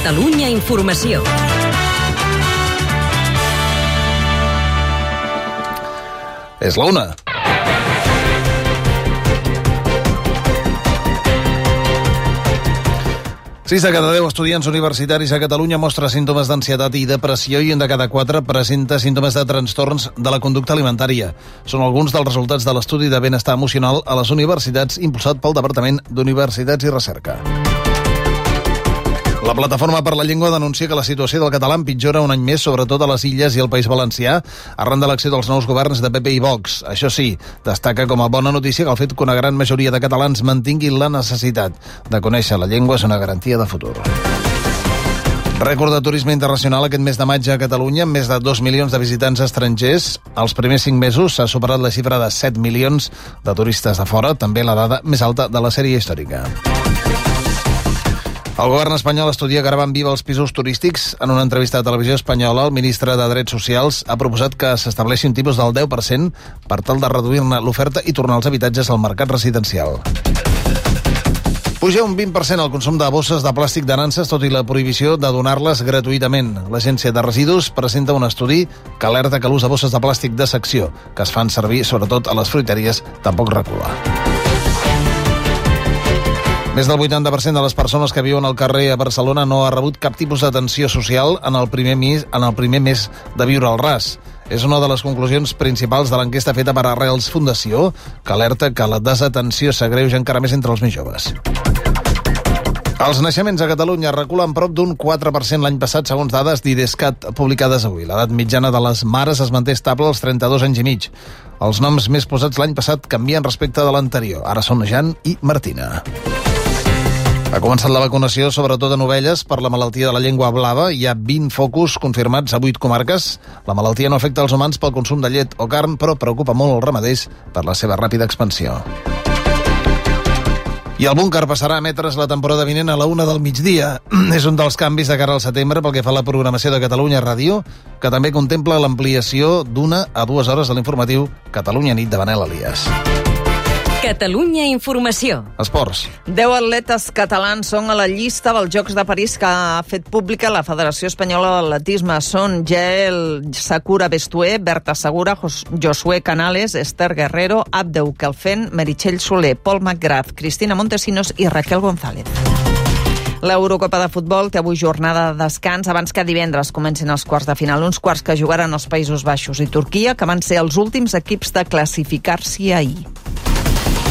Catalunya Informació. És la 1. Sis de cada 10 estudiants universitaris a Catalunya mostra símptomes d'ansietat i depressió i un de cada 4 presenta símptomes de trastorns de la conducta alimentària. Són alguns dels resultats de l'estudi de benestar emocional a les universitats impulsat pel Departament d'Universitats i Recerca. La Plataforma per la Llengua denuncia que la situació del català empitjora un any més, sobretot a les Illes i el País Valencià, arran de l'acció dels nous governs de PP i Vox. Això sí, destaca com a bona notícia que el fet que una gran majoria de catalans mantinguin la necessitat de conèixer la llengua és una garantia de futur. Rècord de turisme internacional aquest mes de maig a Catalunya, amb més de 2 milions de visitants estrangers. Els primers 5 mesos s'ha superat la xifra de 7 milions de turistes de fora, també la dada més alta de la sèrie històrica. El govern espanyol estudia gravar en viva els pisos turístics. En una entrevista a Televisió Espanyola, el ministre de Drets Socials ha proposat que s'estableixi un tipus del 10% per tal de reduir-ne l'oferta i tornar els habitatges al mercat residencial. Puja un 20% el consum de bosses de plàstic de nanses, tot i la prohibició de donar-les gratuïtament. L'Agència de Residus presenta un estudi que alerta que l'ús de bosses de plàstic de secció, que es fan servir sobretot a les fruiteries, tampoc recula. Més del 80% de les persones que viuen al carrer a Barcelona no ha rebut cap tipus d'atenció social en el primer mes de viure al ras. És una de les conclusions principals de l'enquesta feta per Arrels Fundació, que alerta que la desatenció s'agreuja encara més entre els més joves. Els naixements a Catalunya reculen prop d'un 4% l'any passat, segons dades d'IDESCAT publicades avui. L'edat mitjana de les mares es manté estable als 32 anys i mig. Els noms més posats l'any passat canvien respecte de l'anterior. Ara són Jan i Martina. Ha començat la vacunació, sobretot en ovelles, per la malaltia de la llengua blava. Hi ha 20 focus confirmats a 8 comarques. La malaltia no afecta els humans pel consum de llet o carn, però preocupa molt els ramaders per la seva ràpida expansió. I el búnquer passarà a emetre's la temporada vinent a la 1 del migdia. És un dels canvis de cara al setembre pel que fa a la programació de Catalunya Ràdio, que també contempla l'ampliació d'1 a 2 hores de l'informatiu Catalunya Nit de Manel Elias. Catalunya Informació. Esports. 10 atletes catalans són a la llista dels Jocs de París que ha fet pública la Federació Espanyola d'Atletisme. Són Jael Sakura Bestué, Berta Segura, Josué Canales, Esther Guerrero, Abdeu Kelfen, Meritxell Soler, Pol McGrath, Cristina Montesinos i Raquel González. L'Eurocopa de futbol té avui jornada de descans abans que divendres comencin els quarts de final. Uns quarts que jugaran els Països Baixos i Turquia, que van ser els últims equips de classificar-s'hi ahir.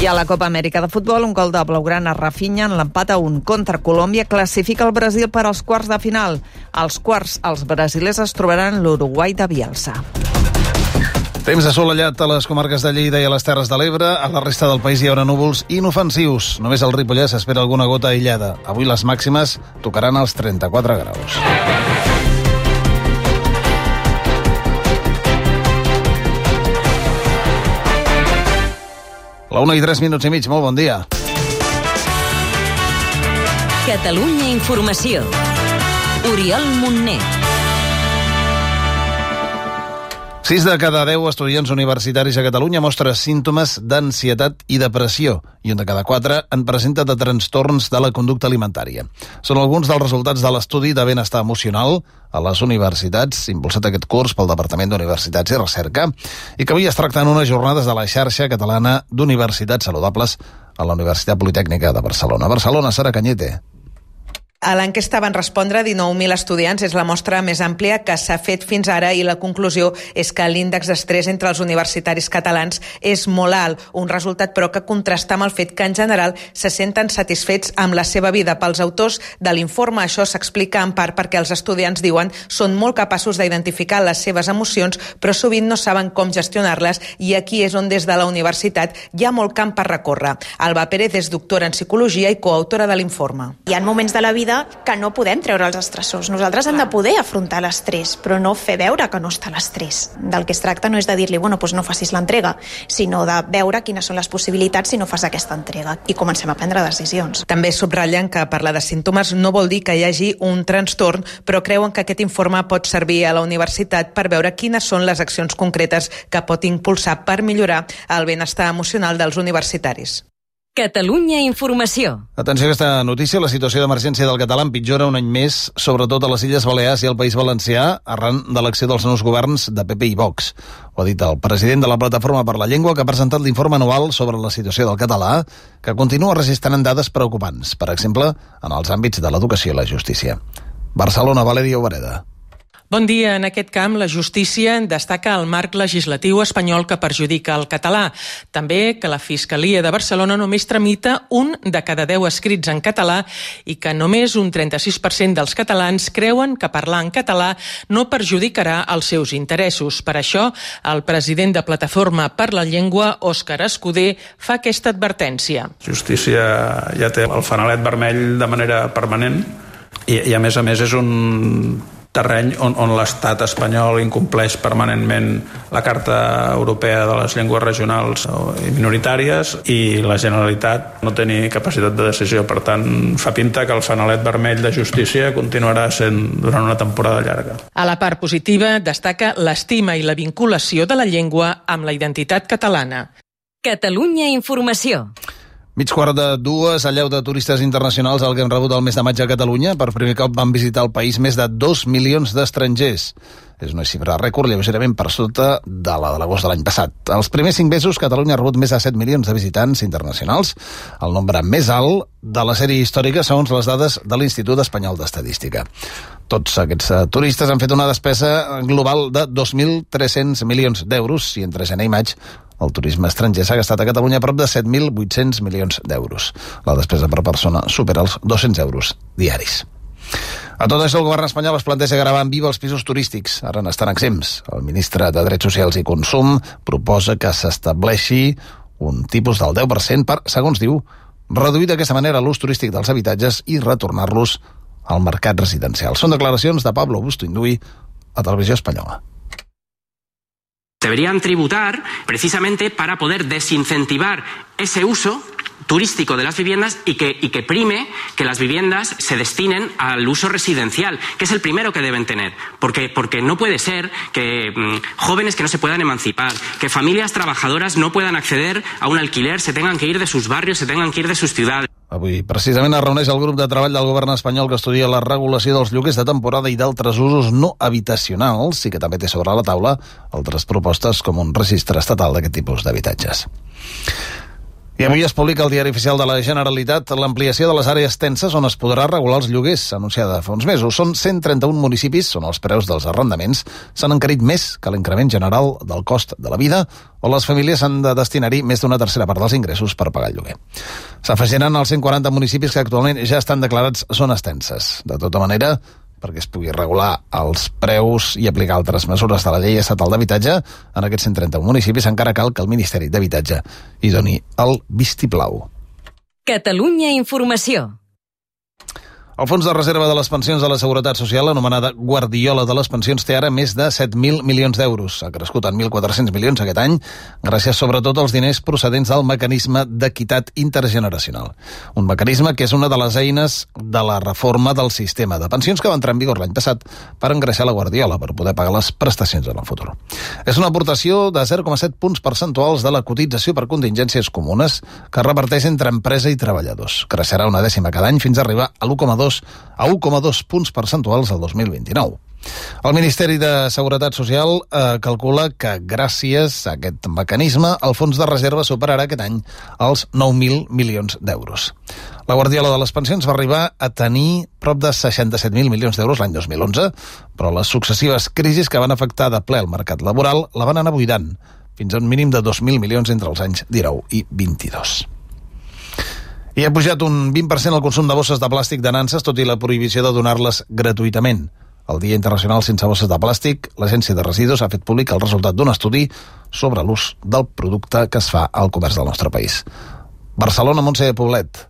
I a la Copa Amèrica de futbol, un gol de Blaugrana Rafinha en l'empat a 1 contra Colòmbia classifica el Brasil per als quarts de final. Als quarts, els brasilers es trobaran l'Uruguai de Bielsa. Temps assolellat a les comarques de Lleida i a les Terres de l'Ebre. A la resta del país hi haurà núvols inofensius. Només al Ripollès s'espera alguna gota aïllada. Avui les màximes tocaran els 34 graus. La 1 i 3 minuts i mig, molt bon dia. Catalunya Informació. Oriol Montner. 6 de cada 10 estudiants universitaris a Catalunya mostra símptomes d'ansietat i depressió i un de cada 4 en presenta de trastorns de la conducta alimentària. Són alguns dels resultats de l'estudi de benestar emocional a les universitats, impulsat aquest curs pel Departament d'Universitats i Recerca, i que avui es tracta en unes jornades de la xarxa catalana d'universitats saludables a la Universitat Politècnica de Barcelona. Barcelona, Sara Cañete. A l'enquesta van respondre 19.000 estudiants. És la mostra més àmplia que s'ha fet fins ara i la conclusió és que l'índex d'estrès entre els universitaris catalans és molt alt. Un resultat, però, que contrasta amb el fet que, en general, se senten satisfets amb la seva vida. Pels autors de l'informe, això s'explica en part perquè els estudiants, diuen, són molt capaços d'identificar les seves emocions, però sovint no saben com gestionar-les, i aquí és on des de la universitat hi ha molt camp per recórrer. Alba Pérez és doctora en psicologia i coautora de l'informe. Hi ha moments de la vida que no podem treure els estressors. Nosaltres hem de poder afrontar l'estrès, però no fer veure que no està l'estrès. Del que es tracta no és de dir-li, bueno, doncs no facis l'entrega, sinó de veure quines són les possibilitats si no fas aquesta entrega i comencem a prendre decisions. També subratllen que parlar de símptomes no vol dir que hi hagi un trastorn, però creuen que aquest informe pot servir a la universitat per veure quines són les accions concretes que pot impulsar per millorar el benestar emocional dels universitaris. Catalunya Informació. Atenció a aquesta notícia, la situació d'emergència del català empitjora un any més, sobretot a les Illes Balears i al País Valencià, arran de l'acció dels nous governs de PP i Vox. Ho ha dit el president de la Plataforma per la Llengua, que ha presentat l'informe anual sobre la situació del català, que continua registrant dades preocupants, per exemple, en els àmbits de l'educació i la justícia. Barcelona, Valeria Obereda. Bon dia. En aquest camp, la justícia destaca el marc legislatiu espanyol que perjudica el català. També que la Fiscalia de Barcelona només tramita 1 de cada 10 escrits en català i que només un 36% dels catalans creuen que parlar en català no perjudicarà els seus interessos. Per això, el president de Plataforma per la Llengua, Òscar Escudé, fa aquesta advertència. Justícia ja té el fanalet vermell de manera permanent i a més és un terreny on l'estat espanyol incompleix permanentment la Carta Europea de les Llengües Regionals i Minoritàries i la Generalitat no té ni capacitat de decisió. Per tant, fa pinta que el fanalet vermell de justícia continuarà sent durant una temporada llarga. A la part positiva destaca l'estima i la vinculació de la llengua amb la identitat catalana. Catalunya Informació. Mig quart de 2, allau de turistes internacionals el que hem rebut el mes de maig a Catalunya. Per primer cop van visitar el país més de 2 milions d'estrangers. És una xifra rècord, lleugerament per sota de la de l'agost de l'any passat. Els primers 5 mesos, Catalunya ha rebut més de 7 milions de visitants internacionals, el nombre més alt de la sèrie històrica segons les dades de l'Institut Espanyol d'Estadística. Tots aquests turistes han fet una despesa global de 2.300 milions d'euros i entre gener i maig el turisme estranger s'ha gastat a Catalunya prop de 7.800 milions d'euros. La despesa per persona supera els 200 euros diaris. A tot això, el govern espanyol es planteja gravar en viva els pisos turístics. Ara n'estan exempts. El ministre de Drets Socials i Consum proposa que s'estableixi un tipus del 10% per, segons diu, reduir d'aquesta manera l'ús turístic dels habitatges i retornar-los al mercat residencial. Són declaracions de Pablo Busto-Induy a Televisió Espanyola. Deberían tributar precisamente para poder desincentivar ese uso turístico de las viviendas y que prime que las viviendas se destinen al uso residencial, que es el primero que deben tener, porque no puede ser que jóvenes que no se puedan emancipar, que familias trabajadoras no puedan acceder a un alquiler, se tengan que ir de sus barrios, se tengan que ir de sus ciudades. Avui, precisament, es reuneix el grup de treball del govern espanyol que estudia la regulació dels lloguers de temporada i d'altres usos no habitacionals i que també té sobre la taula altres propostes com un registre estatal d'aquest tipus d'habitatges. I avui es publica al Diari Oficial de la Generalitat l'ampliació de les àrees tenses on es podrà regular els lloguers, anunciada fa uns mesos. Són 131 municipis on els preus dels arrendaments s'han encarit més que l'increment general del cost de la vida o les famílies han de destinar-hi més d'una tercera part dels ingressos per pagar el lloguer. S'afegiran als 140 municipis que actualment ja estan declarats zones tenses. De tota manera, perquè es pugui regular els preus i aplicar altres mesures de la llei estatal d'habitatge, en aquests 131 municipis encara cal que el Ministeri d'Habitatge hi doni el vistiplau. Catalunya Informació. El Fons de Reserva de les Pensions de la Seguretat Social, anomenada Guardiola de les Pensions, té ara més de 7.000 milions d'euros. Ha crescut en 1.400 milions aquest any, gràcies sobretot als diners procedents del mecanisme d'equitat intergeneracional. Un mecanisme que és una de les eines de la reforma del sistema de pensions que va entrar en vigor l'any passat per engreixar la Guardiola, per poder pagar les prestacions en el futur. És una aportació de 0,7 punts percentuals de la cotització per contingències comunes que reparteix entre empresa i treballadors. Creixerà una dècima cada any fins a arribar a 1,2 punts percentuals al 2029. El Ministeri de Seguretat Social calcula que gràcies a aquest mecanisme el fons de reserva superarà aquest any els 9.000 milions d'euros. La Guardiola de les Pensions va arribar a tenir prop de 67.000 milions d'euros l'any 2011, però les successives crisis que van afectar de ple el mercat laboral la van anar buidant, fins a un mínim de 2.000 milions entre els anys 19 i 22. I ha pujat un 20% el consum de bosses de plàstic de nanses, tot i la prohibició de donar-les gratuïtament. El Dia Internacional sense bosses de plàstic, l'Agència de Residus ha fet públic el resultat d'un estudi sobre l'ús del producte que es fa al comerç del nostre país. Barcelona, Montse Poblet.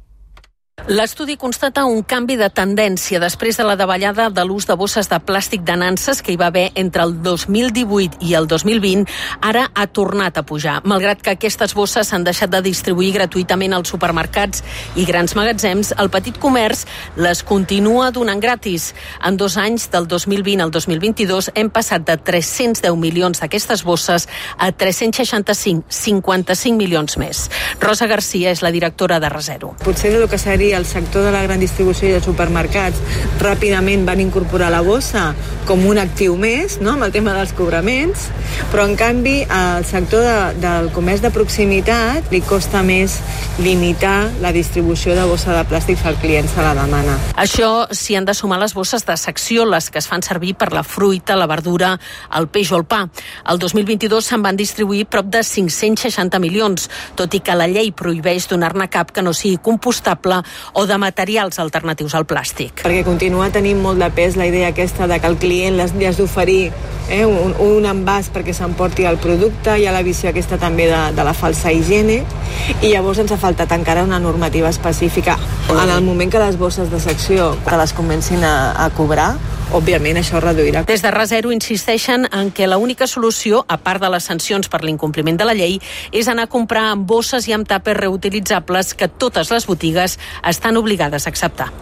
L'estudi constata un canvi de tendència després de la davallada de l'ús de bosses de plàstic de nanses que hi va haver entre el 2018 i el 2020, ara ha tornat a pujar. Malgrat que aquestes bosses s'han deixat de distribuir gratuïtament als supermercats i grans magatzems, el petit comerç les continua donant gratis. En 2 anys, del 2020 al 2022, hem passat de 310 milions d'aquestes bosses a 365, 55 milions més. Rosa Garcia és la directora de Resero. Potser el que seria el sector de la gran distribució i els supermercats ràpidament van incorporar la bossa com un actiu més, no?, amb el tema dels cobraments, però en canvi al sector del comerç de proximitat li costa més limitar la distribució de bossa de plàstic que el client se la demana. Això s'hi han de sumar les bosses de secció, les que es fan servir per la fruita, la verdura, el peix o el pa. El 2022 se'n van distribuir prop de 560 milions, tot i que la llei prohibeix donar-ne cap que no sigui compostable o de materials alternatius al plàstic. Perquè continua tenint molt de pes la idea aquesta de que el client li has d'oferir un envàs perquè s'emporti el producte, hi ha la visió aquesta també de la falsa higiene, i llavors ens ha faltat encara una normativa específica. En el moment que les bosses de secció que les comencin a cobrar, òbviament això reduirà. Des de Resero insisteixen en que l'única solució, a part de les sancions per l'incompliment de la llei, és anar a comprar amb bosses i amb tàpers reutilitzables que totes les botigues estan obligades a acceptar.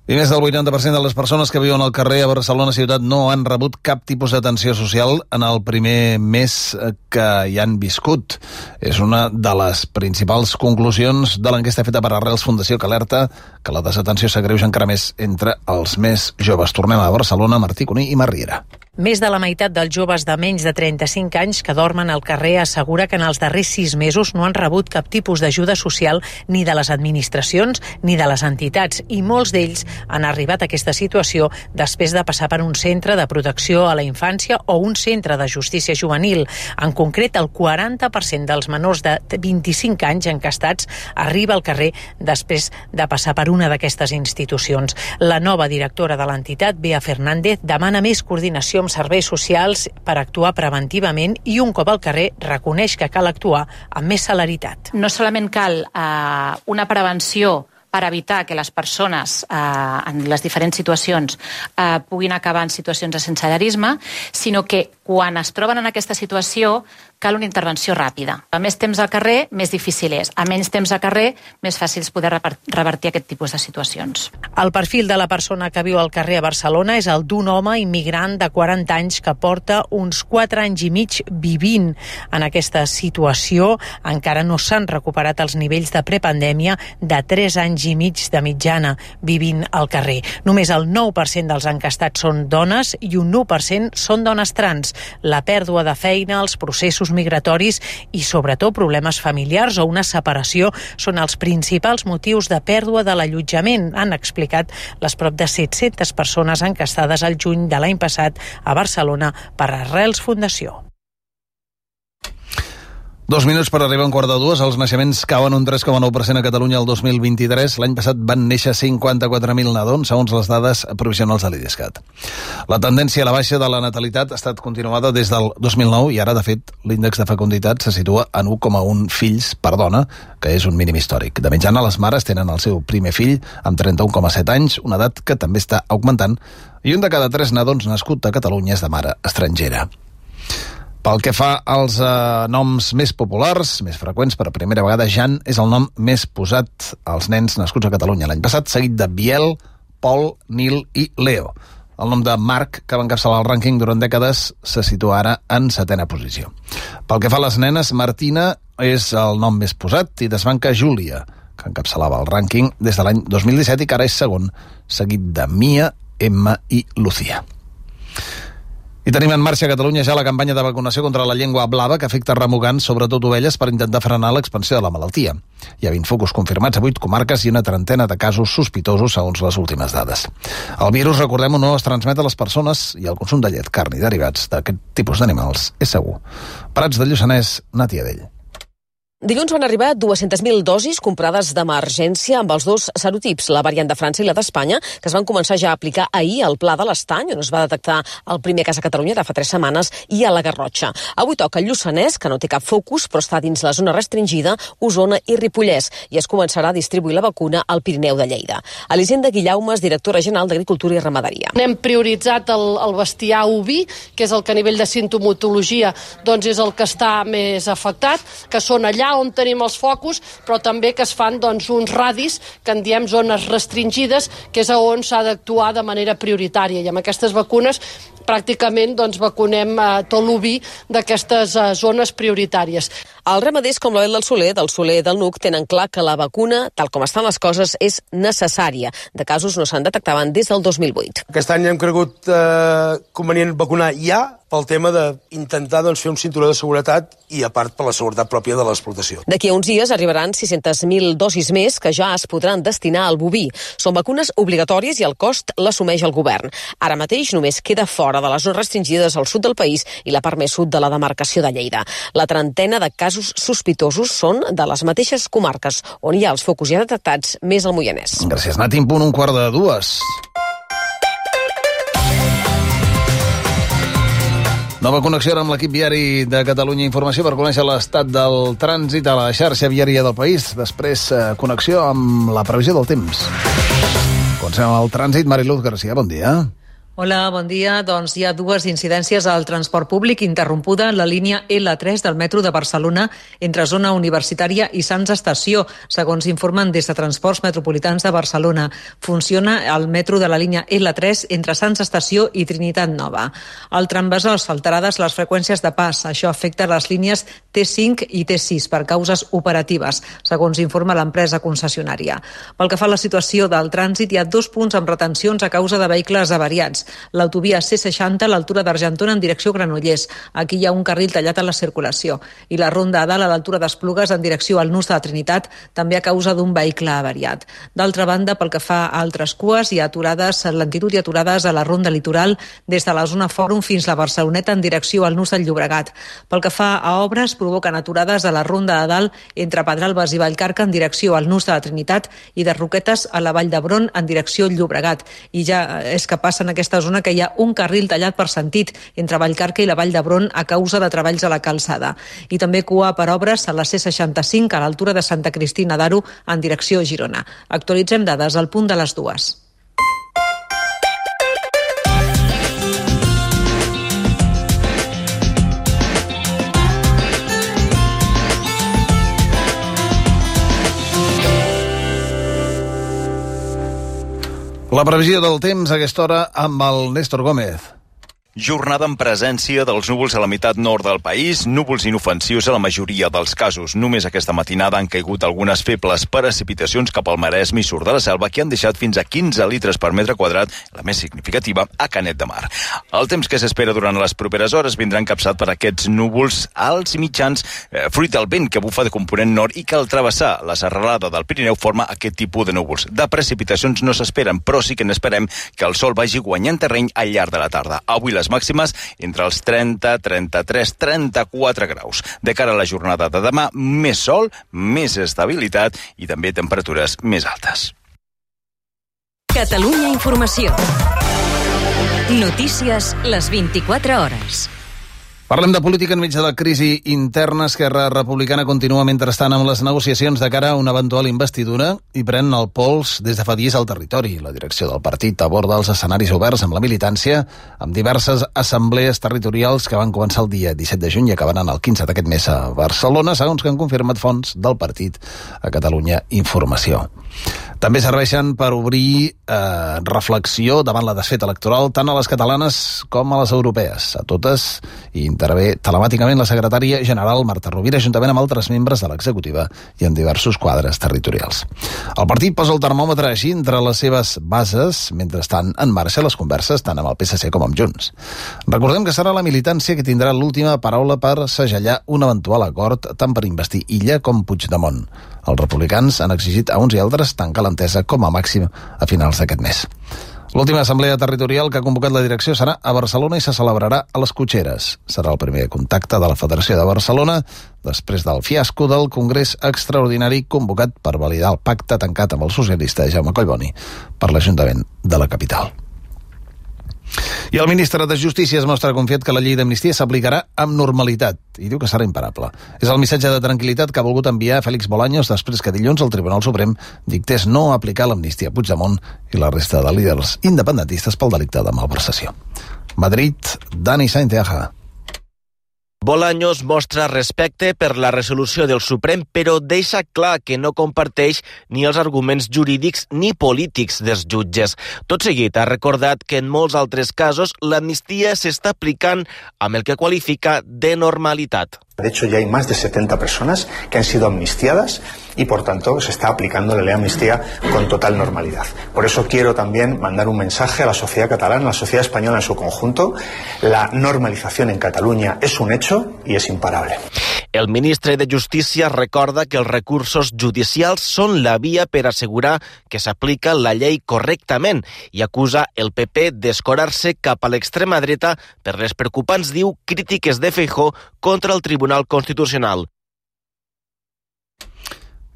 I més del 80% de les persones que viuen al carrer a Barcelona ciutat no han rebut cap tipus d'atenció social en el primer mes que hi han viscut. És una de les principals conclusions de l'enquesta feta per Arrels Fundació, que alerta que la desatenció s'agreuja encara més entre els més joves. Tornem a Barcelona, Martí Cuní i Marriera. Més de la meitat dels joves de menys de 35 anys que dormen al carrer assegura que en els darrers 6 mesos no han rebut cap tipus d'ajuda social ni de les administracions ni de les entitats, i molts d'ells han arribat a aquesta situació després de passar per un centre de protecció a la infància o un centre de justícia juvenil. En concret, el 40% dels menors de 25 anys encastats arriba al carrer després de passar per una d'aquestes institucions. La nova directora de l'entitat, Bea Fernández, demana més coordinació amb serveis socials per actuar preventivament i, un cop al carrer, reconeix que cal actuar amb més celeritat. No solament cal una prevenció per evitar que les persones en les diferents situacions puguin acabar en situacions de sensellarisme, sinó que quan es troben en aquesta situació cal una intervenció ràpida. A més temps al carrer, més difícil és. A menys temps al carrer, més fàcil és poder revertir aquest tipus de situacions. El perfil de la persona que viu al carrer a Barcelona és el d'un home immigrant de 40 anys que porta uns 4 anys i mig vivint en aquesta situació. Encara no s'han recuperat els nivells de prepandèmia de 3 anys i mig de mitjana vivint al carrer. Només el 9% dels encastats són dones i un 1% són dones trans. La pèrdua de feina, els processos migratoris i, sobretot, problemes familiars o una separació són els principals motius de pèrdua de l'allotjament, han explicat les prop de 700 persones encastades al juny de l'any passat a Barcelona per Arrels Fundació. 2 minuts per arribar a 1:45. Els naixements cauen un 3,9% a Catalunya el 2023. L'any passat van néixer 54.000 nadons, segons les dades provisionals de l'IDESCAT. La tendència a la baixa de la natalitat ha estat continuada des del 2009 i ara, de fet, l'índex de fecunditat se situa en 1,1 fills per dona, que és un mínim històric. De mitjana, les mares tenen el seu primer fill amb 31,7 anys, una edat que també està augmentant, i un de cada 3 nadons nascut a Catalunya és de mare estrangera. Pel que fa als noms més populars, més freqüents, per primera vegada, Jan és el nom més posat als nens nascuts a Catalunya l'any passat, seguit de Biel, Pol, Nil i Leo. El nom de Marc, que va encapçalar el rànquing durant dècades, se situa ara en 7a posició. Pel que fa a les nenes, Martina és el nom més posat i desbanca Júlia, que encapçalava el rànquing des de l'any 2017 i que ara és segon, seguit de Mia, Emma i Lucía. I tenim en marxa a Catalunya ja la campanya de vacunació contra la llengua blava que afecta remugants, sobretot ovelles, per intentar frenar l'expansió de la malaltia. Hi ha 20 focus confirmats a 8 comarques i una trentena de casos sospitosos, segons les últimes dades. El virus, recordem-ho, no es transmet a les persones i el consum de llet, carn i derivats d'aquest tipus d'animals és segur. Prats de Lluçanès, Nàtia Vell. Dilluns van arribar 200.000 dosis comprades d'emergència amb els dos serotips, la variant de França i la d'Espanya, que es van començar ja a aplicar ahir al Pla de l'Estany, on es va detectar el primer cas a Catalunya de fa 3 setmanes, i a la Garrotxa. Avui toca el Lluçanès, que no té cap focus, però està dins la zona restringida, Osona i Ripollès, i es començarà a distribuir la vacuna al Pirineu de Lleida. Elisenda Guillaumes, directora general d'Agricultura i Ramaderia. Hem prioritzat el bestiar oví, que és el que a nivell de sintomatologia doncs és el que està més afectat, que són allà on tenim els focus, però també que es fan uns radis que en diem zones restringides, que és on s'ha d'actuar de manera prioritària. I amb aquestes vacunes pràcticament vacunem tot l'oví d'aquestes zones prioritàries. Els ramaders com l'Oel del Soler del Nuc tenen clar que la vacuna, tal com estan les coses, és necessària. De casos no se'n detectaven des del 2008. Aquest any hem cregut convenient vacunar ja pel tema d'intentar fer un cinturó de seguretat i, a part, per la seguretat pròpia de l'explotació. D'aquí a uns dies arribaran 600.000 dosis més que ja es podran destinar al boví. Són vacunes obligatòries i el cost l'assumeix el govern. Ara mateix només queda fora de les zones restringides al sud del país i la part més sud de la demarcació de Lleida. La trentena de casos sospitosos són de les mateixes comarques on hi ha els focus ja detectats, més al Moianès. Gràcies, Nati. En punt 1:45. Nova connexió amb l'equip viari de Catalunya Informació per conèixer l'estat del trànsit a la xarxa viària del país. Després, connexió amb la previsió del temps. Comencem amb el trànsit. Mariluz García, bon dia. Hola, bon dia. Doncs hi ha 2 incidències al transport públic. Interrompuda la línia L3 del metro de Barcelona entre zona universitària i Sants Estació, segons informen des de Transports Metropolitans de Barcelona. Funciona el metro de la línia L3 entre Sants Estació i Trinitat Nova. Al Trambassós, alterades les freqüències de pas. Això afecta les línies T5 i T6 per causes operatives, segons informa l'empresa concessionària. Pel que fa a la situació del trànsit, hi ha 2 punts amb retencions a causa de vehicles avariats. L'autovia C60 a l'altura d'Argentona en direcció Granollers. Aquí hi ha un carril tallat a la circulació. I la ronda a dalt a l'altura d'Esplugues en direcció al nus de la Trinitat, també a causa d'un vehicle avariat. D'altra banda, pel que fa a altres cues, hi ha aturades en lentitud i aturades a la ronda litoral des de la zona Fòrum fins a la Barceloneta en direcció al nus del Llobregat. Pel que fa a obres, provoquen aturades a la ronda de dalt entre Pedralbes i Vallcarca en direcció al nus de la Trinitat i de Roquetes a la Vall d'Hebron en direcció al Llobregat. I ja és que passen aquesta zona que hi ha un carril tallat per sentit entre Vallcarca i la Vall d'Hebron a causa de treballs a la calçada. I també cua per obres a la C65 a l'altura de Santa Cristina d'Aro en direcció a Girona. Actualitzem dades al punt de les 2. La previsió del temps a aquesta hora amb el Néstor Gómez. Jornada en presència dels núvols a la meitat nord del país, núvols inofensius a la majoria dels casos. Només aquesta matinada han caigut algunes febles precipitacions cap al Maresme i Sud de la Selva que han deixat fins a 15 litres per metre quadrat, la més significativa a Canet de Mar. El temps que s'espera durant les properes hores vindrà encapçat per aquests núvols alts i mitjans, fruit del vent que bufa de component nord i que al travessar la serralada del Pirineu forma aquest tipus de núvols. De precipitacions no s'esperen, però sí que n'esperem que el sol vagi guanyant terreny al llarg de la tarda. Avui les màximes entre els 30, 33, 34 graus. De cara a la jornada de demà, més sol, més estabilitat i també temperatures més altes. Catalunya Informació. Notícies les 24 hores. Parlem de política enmig de la crisi interna. Esquerra Republicana continua mentrestant amb les negociacions de cara a una eventual investidura i pren el pols des de fa dies al territori. La direcció del partit aborda els escenaris oberts amb la militància, amb diverses assemblees territorials que van començar el dia 17 de juny i acabaran el 15 d'aquest mes a Barcelona, segons que han confirmat fonts del partit a Catalunya Informació. També serveixen per obrir reflexió davant la desfeta electoral tant a les catalanes com a les europees. A totes hi intervé telemàticament la secretària general Marta Rovira, juntament amb altres membres de l'executiva i en diversos quadres territorials. El partit posa el termòmetre així entre les seves bases, mentre estan en marxa les converses tant amb el PSC com amb Junts. Recordem que serà la militància que tindrà l'última paraula per segellar un eventual acord tant per investir Illa com Puigdemont. Els republicans han exigit a uns i altres tancar l'entesa com a màxim a finals d'aquest mes. L'última assemblea territorial que ha convocat la direcció serà a Barcelona i se celebrarà a les Cotxeres. Serà el primer contacte de la Federació de Barcelona després del fiasco del Congrés Extraordinari convocat per validar el pacte tancat amb el socialista Jaume Collboni per l'Ajuntament de la capital. I el ministre de Justícia es mostra confiat que la llei d'amnistia s'aplicarà amb normalitat i diu que serà imparable. És el missatge de tranquil·litat que ha volgut enviar Félix Bolaños després que dilluns el Tribunal Suprem dictés no aplicar l'amnistia a Puigdemont i la resta de líders independentistes pel delicte de malversació. Madrid, Dani Sainteaja. Bolaños mostra respecte per la resolució del Suprem, però deixa clar que no comparteix ni els arguments jurídics ni polítics dels jutges. Tot seguit ha recordat que en molts altres casos l'amnistia s'està aplicant amb el que qualifica de normalitat. De hecho, ya hay más de 70 personas que han sido amnistiadas y, por tanto, se está aplicando la ley de amnistía con total normalidad. Por eso quiero también mandar un mensaje a la sociedad catalana, a la sociedad española en su conjunto. La normalización en Cataluña es un hecho y es imparable. El ministre de Justícia recorda que els recursos judicials són la via per assegurar que s'aplica la llei correctament i acusa el PP d'escorar-se cap a l'extrema dreta per les preocupants, diu, crítiques de Feijóo contra el Tribunal Constitucional.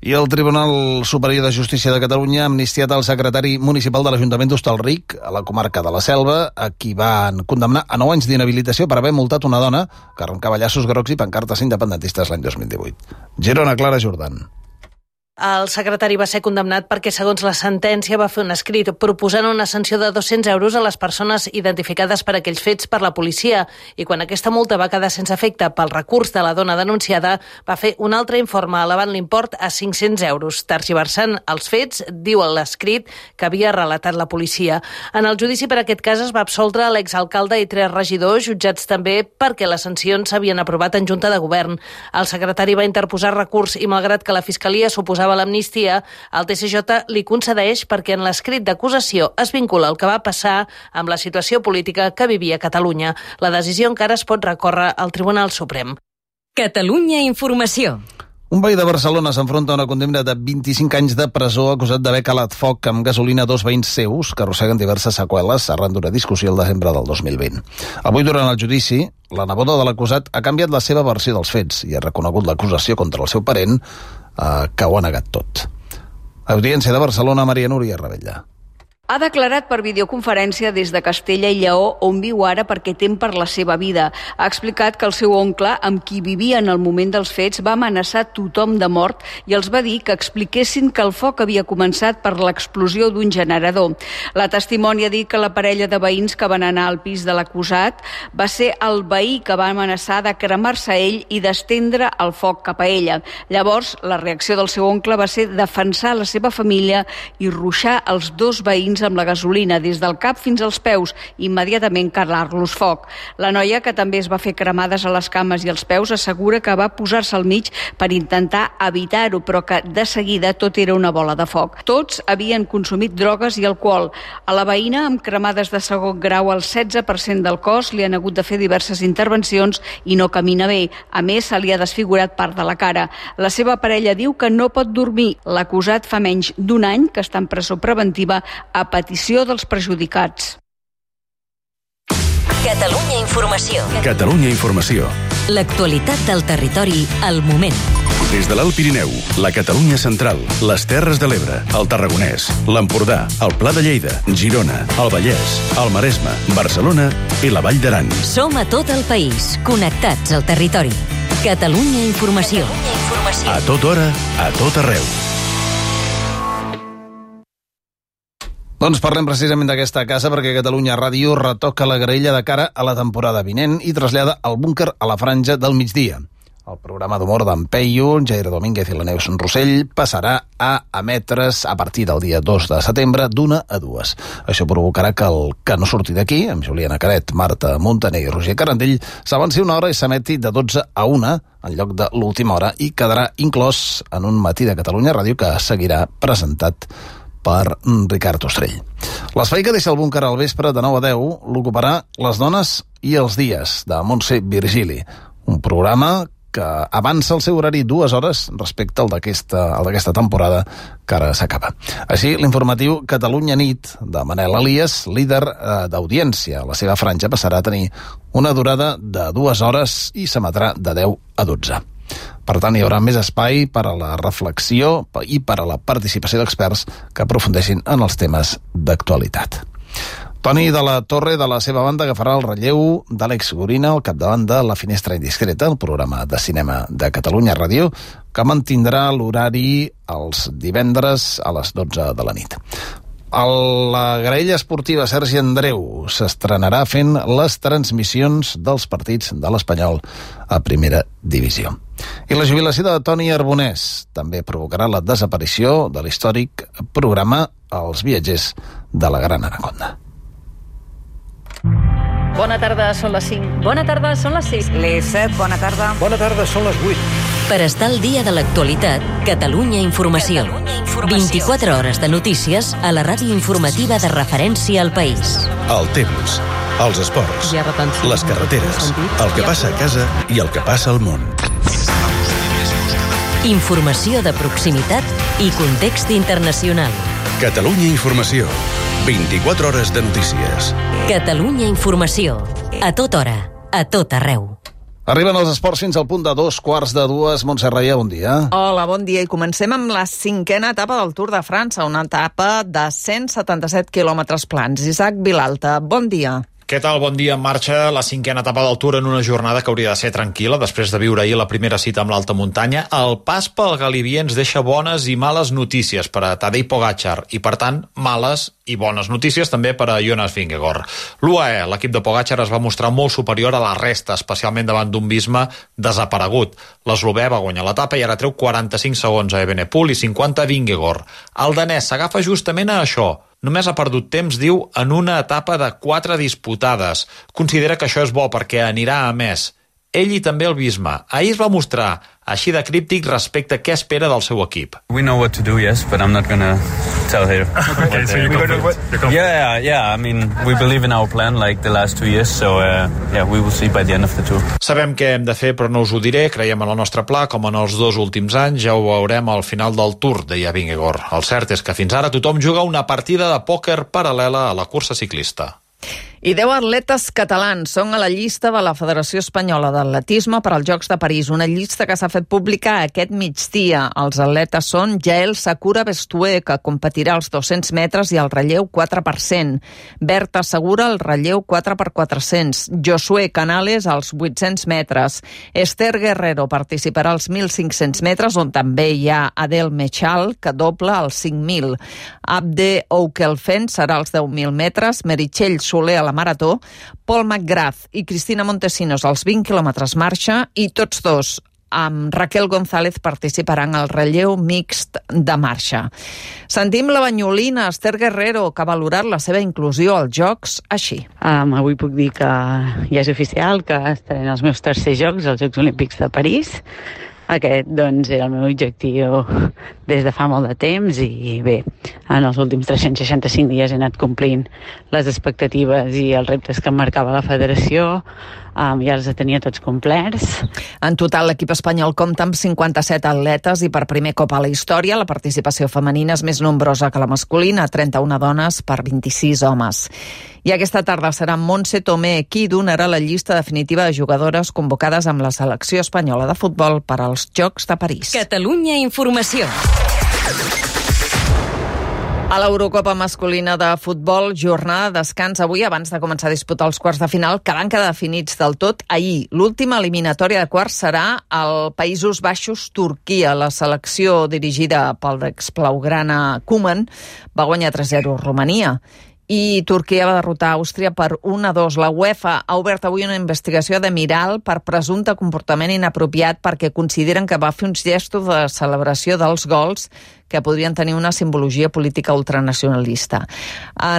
I el Tribunal Superior de Justícia de Catalunya ha amnistiat el secretari municipal de l'Ajuntament d'Hostalric, a la comarca de la Selva, a qui van condemnar a 9 anys d'inhabilitació per haver multat una dona que arrencava llaços grocs i pancartes independentistes l'any 2018. Girona, Clara Jordan. El secretari va ser condemnat perquè, segons la sentència, va fer un escrit proposant una sanció de 200 euros a les persones identificades per aquells fets per la policia i quan aquesta multa va quedar sense efecte pel recurs de la dona denunciada, va fer un altre informe elevant l'import a 500 euros. Tergiversant els fets, diu l'escrit que havia relatat la policia. En el judici per aquest cas es va absoldre l'exalcalde i 3 regidors, jutjats també perquè les sancions s'havien aprovat en Junta de Govern. El secretari va interposar recurs i, malgrat que la Fiscalia suposava l'amnistia, el TSJ li concedeix perquè en l'escrit d'acusació es vincula el que va passar amb la situació política que vivia Catalunya. La decisió encara es pot recórrer al Tribunal Suprem. Catalunya Informació. Un veí de Barcelona s'enfronta a una condemna de 25 anys de presó acusat d'haver calat foc amb gasolina a 2 veïns seus que arrosseguen diverses seqüeles arran d'una discussió el desembre del 2020. Avui, durant el judici, la neboda de l'acusat ha canviat la seva versió dels fets i ha reconegut l'acusació contra el seu parent, que ho ha negat tot. Audiència de Barcelona, Maria Núria Rebella. Ha declarat per videoconferència des de Castella i Lleó, on viu ara perquè tem per la seva vida. Ha explicat que el seu oncle, amb qui vivia en el moment dels fets, va amenaçar tothom de mort i els va dir que expliquessin que el foc havia començat per l'explosió d'un generador. La testimònia ha dit que la parella de veïns que van anar al pis de l'acusat va ser el veí que va amenaçar de cremar-se ell i d'estendre el foc cap a ella. Llavors, la reacció del seu oncle va ser defensar la seva família i ruixar els 2 veïns amb la gasolina des del cap fins als peus, immediatament calar-los foc. La noia, que també es va fer cremades a les cames i als peus, assegura que va posar-se al mig per intentar evitar-ho, però que de seguida tot era una bola de foc. Tots havien consumit drogues i alcohol. A la veïna, amb cremades de segon grau al 16% del cos, li han hagut de fer diverses intervencions i no camina bé. A més, se li ha desfigurat part de la cara. La seva parella diu que no pot dormir. L'acusat fa menys d'1 any que està en presó preventiva a petició dels perjudicats. Catalunya Informació. Catalunya Informació. L'actualitat del territori al moment. Des de l'Alt Pirineu, la Catalunya Central, les Terres de l'Ebre, el Tarragonès, l'Empordà, el Pla de Lleida, Girona, el Vallès, el Maresme, Barcelona i la Vall d'Aran. Som a tot el país, connectats al territori. Catalunya Informació. A tota hora, a tot arreu. Doncs parlem precisament d'aquesta casa perquè Catalunya Ràdio retoca la graella de cara a la temporada vinent i trasllada el búnquer a la franja del migdia. El programa d'humor d'en Peyu, Jair Domínguez i la Neus Rossell passarà a emetre's a partir del dia 2 de setembre d'1 a 2. Això provocarà que el Que no surti d'aquí, amb Juliana Caret, Marta Montaner i Roger Carandell, s'avanci una hora i s'emeti de 12 a 1 en lloc de l'última hora i quedarà inclòs en un matí de Catalunya Ràdio que seguirà presentat per Ricard Ostrell. L'espai que deixa el búnquer al vespre de 9 a 10 l'ocuparà Les dones i els dies, de Montse Virgili, un programa que avança el seu horari 2 hores respecte al d'aquesta temporada que ara s'acaba. Així, l'informatiu Catalunya Nit, de Manel Elias, líder d'audiència. La seva franja passarà a tenir una durada de 2 hores i s'emetrà de 10 a 12. Per tant, hi haurà més espai per a la reflexió i per a la participació d'experts que aprofundeixin en els temes d'actualitat. Toni de la Torre, de la seva banda, agafarà el relleu d'Àlex Gorina al capdavant de La Finestra Indiscreta, el programa de cinema de Catalunya Ràdio, que mantindrà l'horari els divendres a les 12 de la nit. La graella esportiva Sergi Andreu s'estrenarà fent les transmissions dels partits de l'Espanyol a primera divisió. I la jubilació de Toni Arbonès també provocarà la desaparició de l'històric programa Els viatgers de la Gran Anaconda. Bona tarda, són les 5. Bona tarda, són les 6. Les 7, bona tarda. Bona tarda, són les 8. Per estar al dia de l'actualitat, Catalunya Informació. 24 hores de notícies a la ràdio informativa de referència al país. El temps, els esports, les carreteres, el que passa a casa i el que passa al món. Informació de proximitat i context internacional. Catalunya Informació. 24 hores de notícies. Catalunya Informació. A tota hora, a tot arreu. Arriben els esports fins al punt de 2:45. Montse Reia, bon dia. Hola, bon dia. I comencem amb la 5a etapa del Tour de França, una etapa de 177 quilòmetres plans. Isaac Vilalta, bon dia. Què tal? Bon dia. En marxa la 5a etapa del Tour en una jornada que hauria de ser tranquil·la després de viure ahir la primera cita amb l'alta muntanya. El pas pel Galibier ens deixa bones i males notícies per a Tadej Pogačar i, per tant, males i bones notícies també per a Jonas Vingegaard. L'UAE, l'equip de Pogačar, es va mostrar molt superior a la resta, especialment davant d'un Visma desaparegut. L'eslovè va guanyar l'etapa i ara treu 45 segons a Evenepoel i 50 a Vingegaard. El danès s'agafa justament a això. Només ha perdut temps, diu, en una etapa de 4 disputades. Considera que això és bo perquè anirà a més. Ell i també el Visma. Ahir es va mostrar així de críptic respecte a què espera del seu equip. We know what to do, yes, but I'm not going to tell here. Okay, so you're confident? Yeah, I mean, we believe in our plan like the last 2 years, so we will see by the end of the tour. Sabem què hem de fer, però no us ho diré. Creiem en el nostre pla, com en els 2 últims anys. Ja ho veurem al final del Tour, deia Vingegaard. El cert és que fins ara tothom juga una partida de pòquer paral·lela a la cursa ciclista. I 10 atletes catalans són a la llista de la Federació Espanyola d'Atletisme per als Jocs de París, una llista que s'ha fet pública aquest migdia. Els atletes són Jael Sakura Bestué, que competirà als 200 metres i al relleu 4%, Berta Segura al relleu 4x400, Josué Canales als 800 metres, Esther Guerrero participarà als 1.500 metres, on també hi ha Adel Mechal, que dobla als 5.000, Abde Oukelfen serà als 10.000 metres, Meritxell Soler a la marató, Paul McGrath i Cristina Montesinos als 20 quilòmetres marxa i tots dos amb Raquel González participaran al relleu mixt de marxa. Sentim la banyolina Esther Guerrero, que ha valorat la seva inclusió als Jocs així. Avui puc dir que ja és oficial, que estaré en els meus tercers Jocs, els Jocs Olímpics de París. Aquest, doncs, era el meu objectiu des de fa molt de temps i bé, en els últims 365 dies he anat complint les expectatives i els reptes que em marcava la federació, ja els tenia tots complerts. En total, l'equip espanyol compta amb 57 atletes i per primer cop a la història la participació femenina és més nombrosa que la masculina, 31 dones per 26 homes. I aquesta tarda serà Montse Tomé qui donarà la llista definitiva de jugadores convocades amb la selecció espanyola de futbol per als Jocs de París. Catalunya Informació. A l'Eurocopa masculina de futbol, jornada de descans avui abans de començar a disputar els quarts de final, que van quedar definits del tot ahir. L'última eliminatòria de quarts serà al Països Baixos-Turquia. La selecció dirigida pel exblaugrana Koeman va guanyar 3-0 Romania. I Turquia va derrotar Àustria per 1-2. La UEFA ha obert avui una investigació de Miral per presumpte comportament inapropiat perquè consideren que va fer uns gestos de celebració dels gols que podrien tenir una simbologia política ultranacionalista.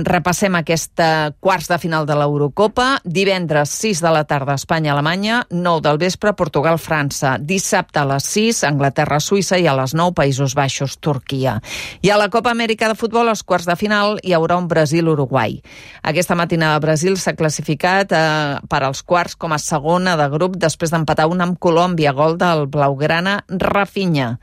Repassem aquesta quarts de final de l'Eurocopa. Divendres, 6 de la tarda, Espanya-Alemanya, 9 del vespre, Portugal-França. Dissabte a les 6, Anglaterra-Suïssa, i a les 9, Països Baixos-Turquia. I a la Copa Amèrica de futbol, als quarts de final, hi haurà un Brasil-Uruguai. Aquesta matinada Brasil s'ha classificat per als quarts com a segona de grup després d'empatar una amb Colòmbia, gol del blaugrana Rafinha.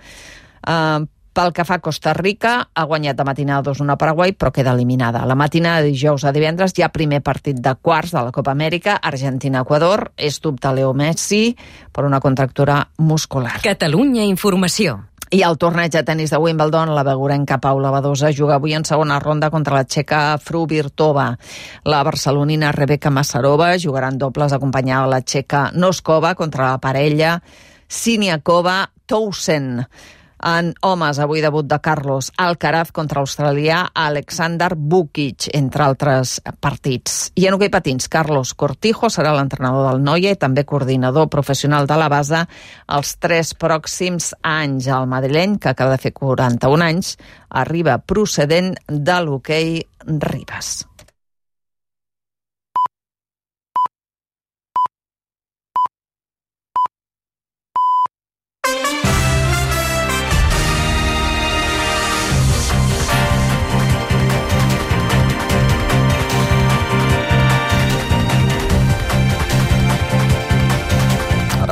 Pel que fa a Costa Rica, ha guanyat de matinada 2-1 a Paraguai, però queda eliminada. La matinada de dijous a divendres hi ha primer partit de quarts de la Copa Amèrica, Argentina-Equador. És dubte Leo Messi per una contractura muscular. Catalunya Informació. I el torneig de tenis de Wimbledon, la begurenca Paula Badosa juga avui en segona ronda contra la txeca Fruhvirtova. La barcelonina Rebeka Masarova jugarà en dobles acompanyada de la txeca Noskova contra la parella Siniakova-Towson. En homes, avui debut de Carlos Alcaraz contra l'australià Alexander Vukic, entre altres partits. I en hoquei patins, Carlos Cortijo serà l'entrenador del Noia i també coordinador professional de la base els 3 pròxims anys. El madrileny, que acaba de fer 41 anys, arriba procedent de l'hoquei Ribes.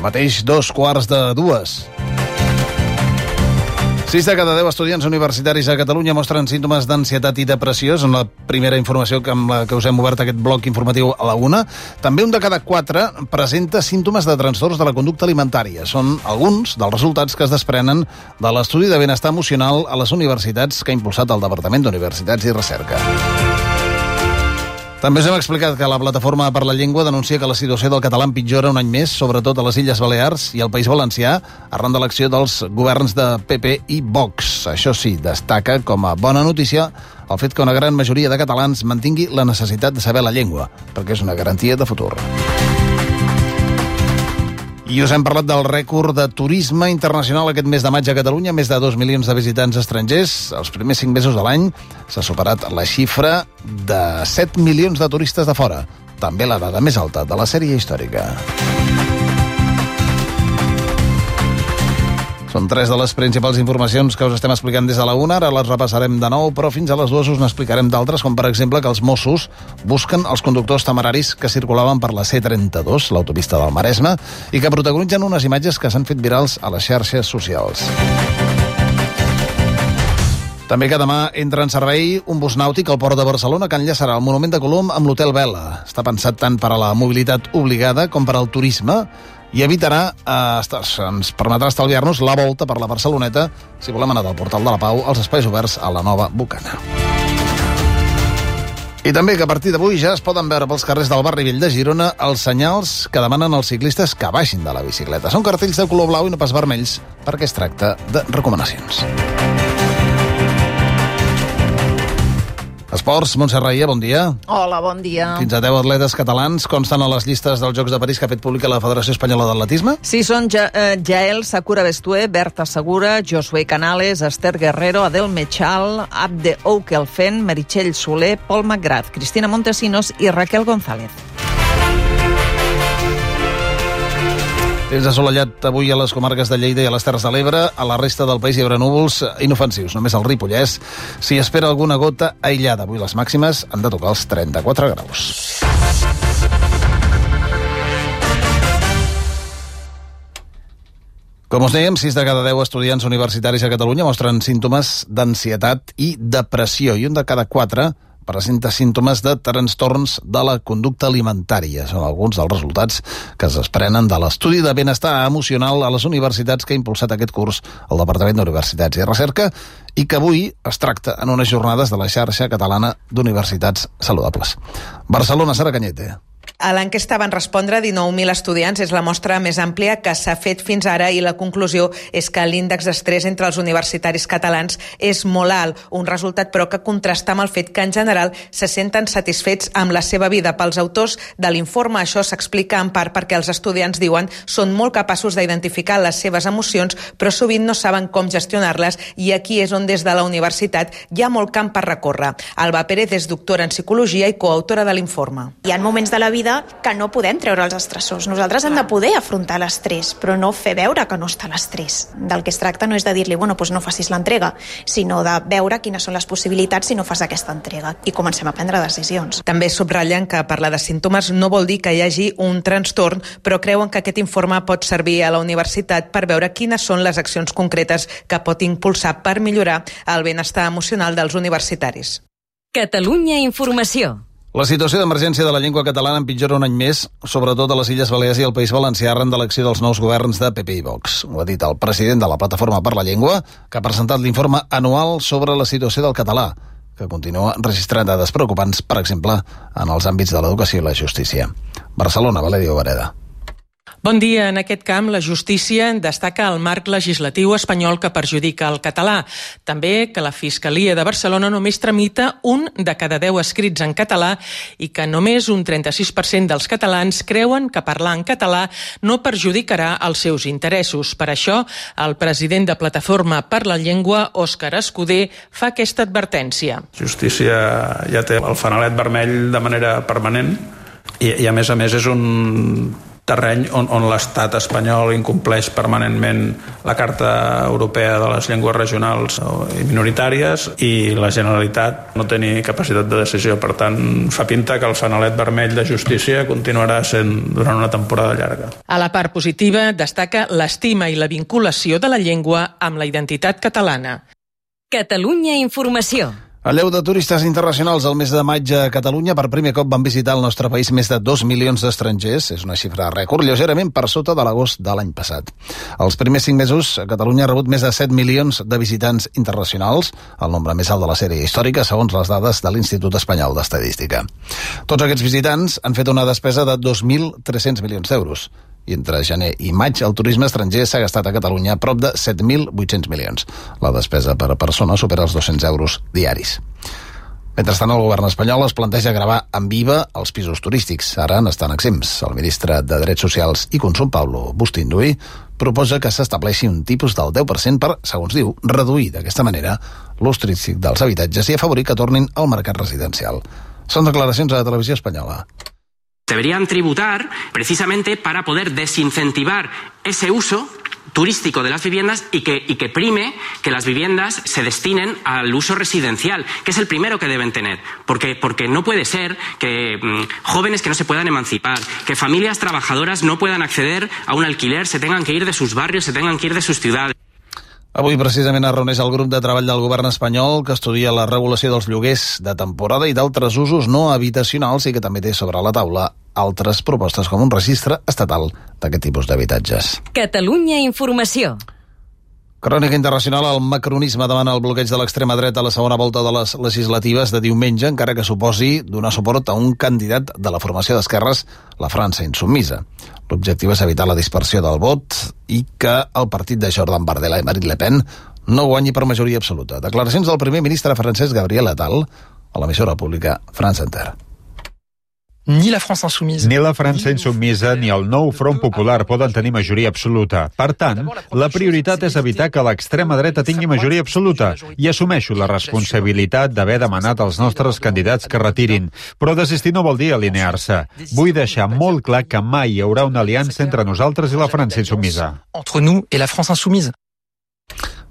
Mateix 2:15. 6 de cada 10 estudiants universitaris a Catalunya mostren símptomes d'ansietat i depressió. És la primera informació amb la que us hem obert aquest bloc informatiu a la 1. També un de cada 4 presenta símptomes de trastorns de la conducta alimentària. Són alguns dels resultats que es desprenen de l'estudi de benestar emocional a les universitats que ha impulsat el Departament d'Universitats i Recerca. També us hem explicat que la Plataforma per la Llengua denuncia que la situació del català empitjora un any més, sobretot a les Illes Balears i al País Valencià, arran de l'acció dels governs de PP i Vox. Això sí, destaca com a bona notícia el fet que una gran majoria de catalans mantingui la necessitat de saber la llengua, perquè és una garantia de futur. I us hem parlat del rècord de turisme internacional aquest mes de maig a Catalunya, més de 2 milions de visitants estrangers. Els primers 5 mesos de l'any s'ha superat la xifra de 7 milions de turistes de fora. També la dada més alta de la sèrie històrica. Són 3 de les principals informacions que us estem explicant des de la 1. Ara les repassarem de nou, però fins a les 2 us n'explicarem d'altres, com per exemple que els Mossos busquen els conductors temeraris que circulaven per la C32, l'autopista del Maresme, i que protagonitzen unes imatges que s'han fet virals a les xarxes socials. També que demà entra en servei un bus nàutic al port de Barcelona que enllaçarà el Monument de Colom amb l'Hotel Vela. Està pensat tant per a la mobilitat obligada com per al turisme i evitarà, ens permetrà estalviar-nos la volta per la Barceloneta si volem anar del Portal de la Pau als espais oberts a la nova Bocana. I també que a partir d'avui ja es poden veure pels carrers del barri vell de Girona els senyals que demanen als ciclistes que baixin de la bicicleta. Són cartells de color blau i no pas vermells, perquè es tracta de recomanacions. Esports, Montse Raia, bon dia. Hola, bon dia. Fins a 10 atletes catalans consten a les llistes dels Jocs de París que ha fet pública la Federació Espanyola d'Atletisme? Sí, són Jael Sakura Bestué, Berta Segura, Josué Canales, Esther Guerrero, Adel Mechal, Abde Oukelfen, Meritxell Soler, Pol McGrath, Cristina Montesinos i Raquel González. Temps assolellat avui a les comarques de Lleida i a les Terres de l'Ebre. A la resta del país hi haurà núvols inofensius. Només al Ripollès s'hi espera alguna gota aïllada. Avui les màximes han de tocar els 34 graus. Com us dèiem, 6 de cada 10 estudiants universitaris a Catalunya mostren símptomes d'ansietat i depressió, i un de cada 4 presenta símptomes de trastorns de la conducta alimentària. Són alguns dels resultats que es desprenen de l'estudi de benestar emocional a les universitats que ha impulsat aquest curs el Departament d'Universitats i Recerca i que avui es tracta en unes jornades de la xarxa catalana d'universitats saludables. Barcelona, Sara Cañete. A l'enquesta van respondre 19.000 estudiants, és la mostra més àmplia que s'ha fet fins ara i la conclusió és que l'índex d'estrès entre els universitaris catalans és molt alt, un resultat però que contrasta amb el fet que en general se senten satisfets amb la seva vida. Pels autors de l'informe això s'explica en part perquè els estudiants, diuen, són molt capaços d'identificar les seves emocions però sovint no saben com gestionar-les i aquí és on des de la universitat hi ha molt camp per recórrer. Alba Pérez és doctora en psicologia i coautora de l'informe. Hi ha moments de la vida que no podem treure els estressors. Nosaltres hem de poder afrontar l'estrès, però no fer veure que no està l'estrès. Del que es tracta no és de dir-li, bueno, doncs no facis l'entrega, sinó de veure quines són les possibilitats si no fas aquesta entrega i comencem a prendre decisions. També subratllen que parlar de símptomes no vol dir que hi hagi un trastorn, però creuen que aquest informe pot servir a la universitat per veure quines són les accions concretes que pot impulsar per millorar el benestar emocional dels universitaris. Catalunya Informació. La situació d'emergència de la llengua catalana empitjora un any més, sobretot a les Illes Balears i al País Valencià arran de l'acció dels nous governs de PP i Vox. Ho ha dit el president de la Plataforma per la Llengua, que ha presentat l'informe anual sobre la situació del català, que continua registrant dades preocupants, per exemple, en els àmbits de l'educació i la justícia. Barcelona, Valerio Vareda. Bon dia. En aquest camp, la justícia destaca el marc legislatiu espanyol que perjudica el català. També que la Fiscalia de Barcelona només tramita 1 de cada 10 escrits en català i que només un 36% dels catalans creuen que parlar en català no perjudicarà els seus interessos. Per això, el president de Plataforma per la Llengua, Òscar Escudé, fa aquesta advertència. Justícia ja té el fanalet vermell de manera permanent i a més és un terreny on l'estat espanyol incompleix permanentment la Carta Europea de les Llengües Regionals i Minoritàries i la Generalitat no té ni capacitat de decisió. Per tant, fa pinta que el fanalet vermell de justícia continuarà sent durant una temporada llarga. A la part positiva destaca l'estima i la vinculació de la llengua amb la identitat catalana. Catalunya Informació. A lleu de turistes internacionals, el mes de maig a Catalunya per primer cop van visitar el nostre país més de 2 milions d'estrangers. És una xifra rècord, lleugerament per sota de l'agost de l'any passat. Els primers 5 mesos, Catalunya ha rebut més de 7 milions de visitants internacionals, el nombre més alt de la sèrie històrica, segons les dades de l'Institut Espanyol d'Estadística. Tots aquests visitants han fet una despesa de 2.300 milions d'euros. I entre gener i maig el turisme estranger s'ha gastat a Catalunya prop de 7.800 milions. La despesa per persona supera els 200 euros diaris. Mentrestant, el govern espanyol es planteja gravar amb IVA els pisos turístics. Ara n'estan exempts. El ministre de Drets Socials i Consum, Pablo Bustinduy, proposa que s'estableixi un tipus del 10% per, segons diu, reduir d'aquesta manera l'ús turístic dels habitatges i afavorir que tornin al mercat residencial. Són declaracions a la televisió espanyola. Deberían tributar precisamente para poder desincentivar ese uso turístico de las viviendas y que prime que las viviendas se destinen al uso residencial, que es el primero que deben tener. Porque no puede ser que jóvenes que no se puedan emancipar, que familias trabajadoras no puedan acceder a un alquiler, se tengan que ir de sus barrios, se tengan que ir de sus ciudades. Avui precisament es reuneix el grup de treball del govern espanyol que estudia la regulació dels lloguers de temporada i d'altres usos no habitacionals i que també té sobre la taula altres propostes com un registre estatal d'aquest tipus d'habitatges. Catalunya Informació. Crònica internacional, el macronisme demana el bloqueig de l'extrema dreta a la segona volta de les legislatives de diumenge, encara que suposi donar suport a un candidat de la formació d'esquerres, la França Insubmisa. L'objectiu és evitar la dispersió del vot i que el partit de Jordan Bardella i Marine Le Pen no guanyi per majoria absoluta. Declaracions del primer ministre francès Gabriel Attal a l'emissora pública France Inter. Ni la França Insubmisa ni el nou Front Popular poden tenir majoria absoluta. Per tant, la prioritat és evitar que l'extrema dreta tingui majoria absoluta i assumeixo la responsabilitat d'haver demanat als nostres candidats que retirin. Però desistir no vol dir alinear-se. Vull deixar molt clar que mai hi haurà una aliança entre nosaltres i la França Insubmisa. Entre nous et la France Insoumise.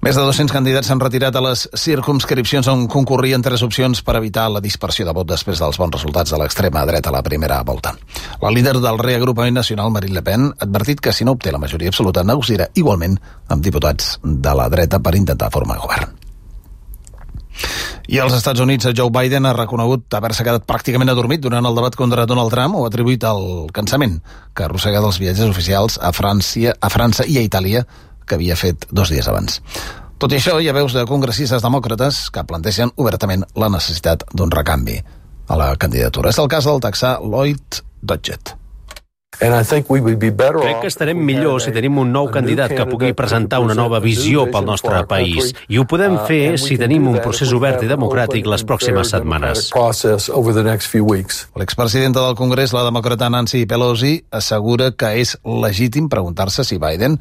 Més de 200 candidats s'han retirat a les circumscripcions on concorrien 3 opcions per evitar la dispersió de vot després dels bons resultats de l'extrema dreta a la primera volta. La líder del reagrupament nacional, Marine Le Pen, ha advertit que si no obté la majoria absoluta negociarà igualment amb diputats de la dreta per intentar formar govern. I als Estats Units, Joe Biden ha reconegut haver-se quedat pràcticament adormit durant el debat contra Donald Trump o ha atribuït el cansament que ha arrossegat els viatges oficials a França i a Itàlia que havia fet 2 dies abans. Tot i això, hi ha veus de congressistes demòcrates que plantegen obertament la necessitat d'un recanvi a la candidatura. És el cas del texà Lloyd Dodgett. Crec que estarem millor si tenim un nou candidat que pugui presentar una nova visió pel nostre país. I ho podem fer si tenim un procés obert i democràtic les pròximes setmanes. L'expresidenta del Congrés, la demòcrata Nancy Pelosi, assegura que és legítim preguntar-se si Biden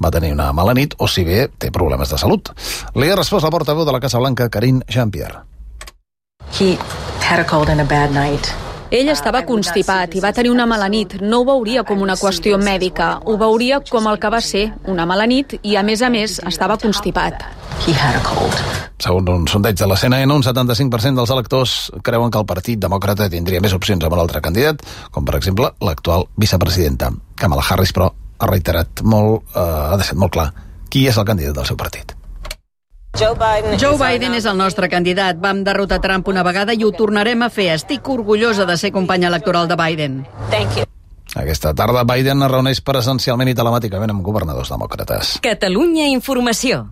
va tenir una mala nit o si bé té problemes de salut. Li ha respost la portaveu de la Casa Blanca, Karine Jean-Pierre. He had a cold and a bad night. Ell estava constipat i va tenir una mala nit. No ho veuria com una qüestió mèdica, ho veuria com el que va ser, una mala nit, i a més, estava constipat. Segons un sondeig de la CNN, un 75% dels electors creuen que el Partit Demòcrata tindria més opcions amb un altre candidat, com per exemple l'actual vicepresidenta. Kamala Harris, però, ha reiterat ha deixat molt clar qui és el candidat del seu partit. Joe Biden és el nostre candidat. Vam derrotar Trump una vegada i ho tornarem a fer. Estic orgullosa de ser companya electoral de Biden. Aquesta tarda Biden es reuneix presencialment i telemàticament amb governadors demòcrates. Catalunya Informació.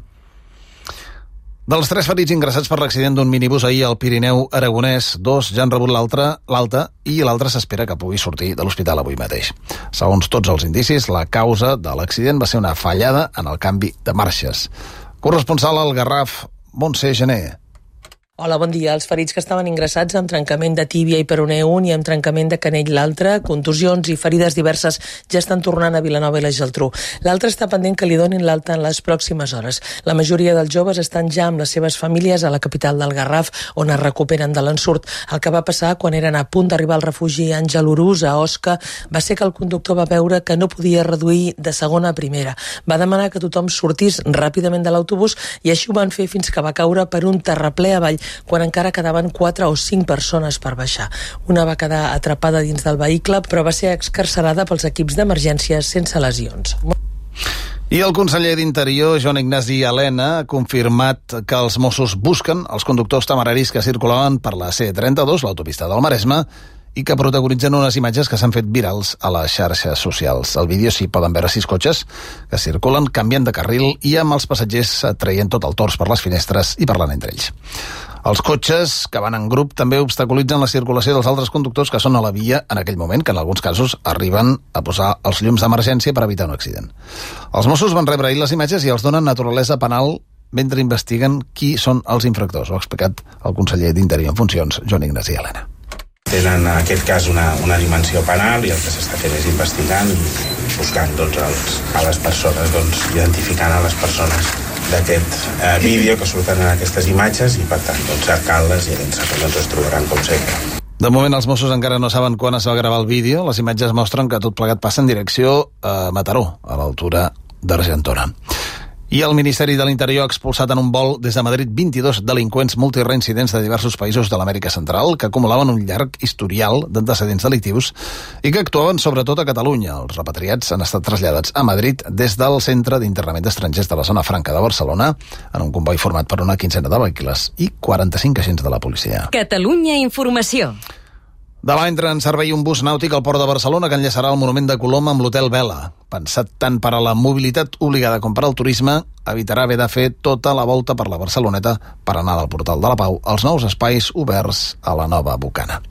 Dels 3 ferits ingressats per l'accident d'un minibús ahir al Pirineu aragonès, 2 ja han rebut l'alta i l'altre s'espera que pugui sortir de l'hospital avui mateix. Segons tots els indicis, la causa de l'accident va ser una fallada en el canvi de marxes. Corresponsal al Garraf, Montse Gené. Hola, bon dia. Els ferits que estaven ingressats amb trencament de tíbia i peroné un i amb trencament de canell l'altre, contusions i ferides diverses ja estan tornant a Vilanova i la Geltrú. L'altre està pendent que li donin l'alta en les pròximes hores. La majoria dels joves estan ja amb les seves famílies a la capital del Garraf, on es recuperen de l'ensurt. El que va passar quan eren a punt d'arribar al refugi Àngel Urús, a Osca, va ser que el conductor va veure que no podia reduir de segona a primera. Va demanar que tothom sortís ràpidament de l'autobús i així ho van fer fins que va caure per un terraplè avall, quan encara quedaven 4 o 5 persones per baixar. Una va quedar atrapada dins del vehicle, però va ser excarcerada pels equips d'emergències sense lesions. I el conseller d'Interior, Joan Ignasi Elena, ha confirmat que els Mossos busquen els conductors temeraris que circulaven per la C32, l'autopista del Maresme, i que protagonitzen unes imatges que s'han fet virals a les xarxes socials. Al vídeo s'hi poden veure 6 cotxes que circulen canviant de carril i amb els passatgers traient tot el tors per les finestres i parlant entre ells. Els cotxes que van en grup també obstaculitzen la circulació dels altres conductors que són a la via en aquell moment, que en alguns casos arriben a posar els llums d'emergència per evitar un accident. Els Mossos van rebre ahir les imatges i els donen naturalesa penal mentre investiguen qui són els infractors. Ho ha explicat el conseller d'Interior en funcions, Joan Ignasi Elena. Tenen en aquest cas una dimensió penal i el que s'està fent és investigant i buscant a les persones, identificant a les persones d'aquest vídeo que surten en aquestes imatges i per tant cercant-les i es trobaran com sempre. De moment els Mossos encara no saben quan es va gravar el vídeo. Les imatges mostren que tot plegat passa en direcció a Mataró, a l'altura d'Argentona. I el Ministeri de l'Interior ha expulsat en un vol des de Madrid 22 delinqüents multireincidents de diversos països de l'Amèrica Central que acumulaven un llarg historial d'antecedents delictius i que actuaven sobretot a Catalunya. Els repatriats han estat traslladats a Madrid des del Centre d'Internament d'Estrangers de la Zona Franca de Barcelona en un comboi format per una quinzena de vehicles i 45 agents de la policia. Catalunya Informació. Demà entra en servei un bus nàutic al Port de Barcelona que enllaçarà el monument de Colom amb l'Hotel Vela. Pensat tant per a la mobilitat obligada com per al turisme, evitarà haver de fer tota la volta per la Barceloneta per anar del Portal de la Pau als nous espais oberts a la nova Bocana.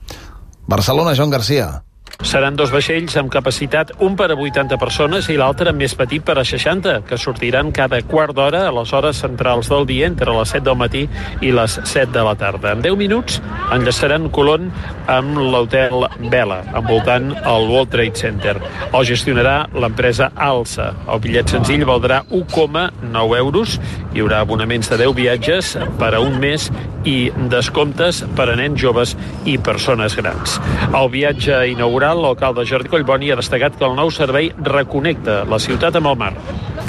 Barcelona, Joan Garcia. Seran 2 vaixells amb capacitat, un per a 80 persones i l'altre més petit per a 60, que sortiran cada quart d'hora a les hores centrals del dia entre les 7 del matí i les 7 de la tarda. En 10 minuts enllaçaran Colón amb l'hotel Vela, envoltant el World Trade Center. El gestionarà l'empresa Alsa. El bitllet senzill valdrà 1,9 euros. Hi haurà abonaments de 10 viatges per a un mes i descomptes per a nens joves i persones grans. El viatge inaugural, l'alcalde Jordi Collboni ha destacat que el nou servei reconnecta la ciutat amb el mar.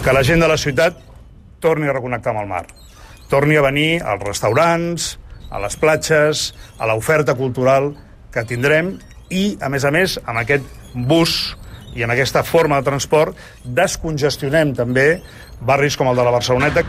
Que la gent de la ciutat torni a reconnectar amb el mar. Torni a venir als restaurants, a les platges, a l'oferta cultural que tindrem i, a més, amb aquest bus i amb aquesta forma de transport descongestionem també barris com el de la Barceloneta.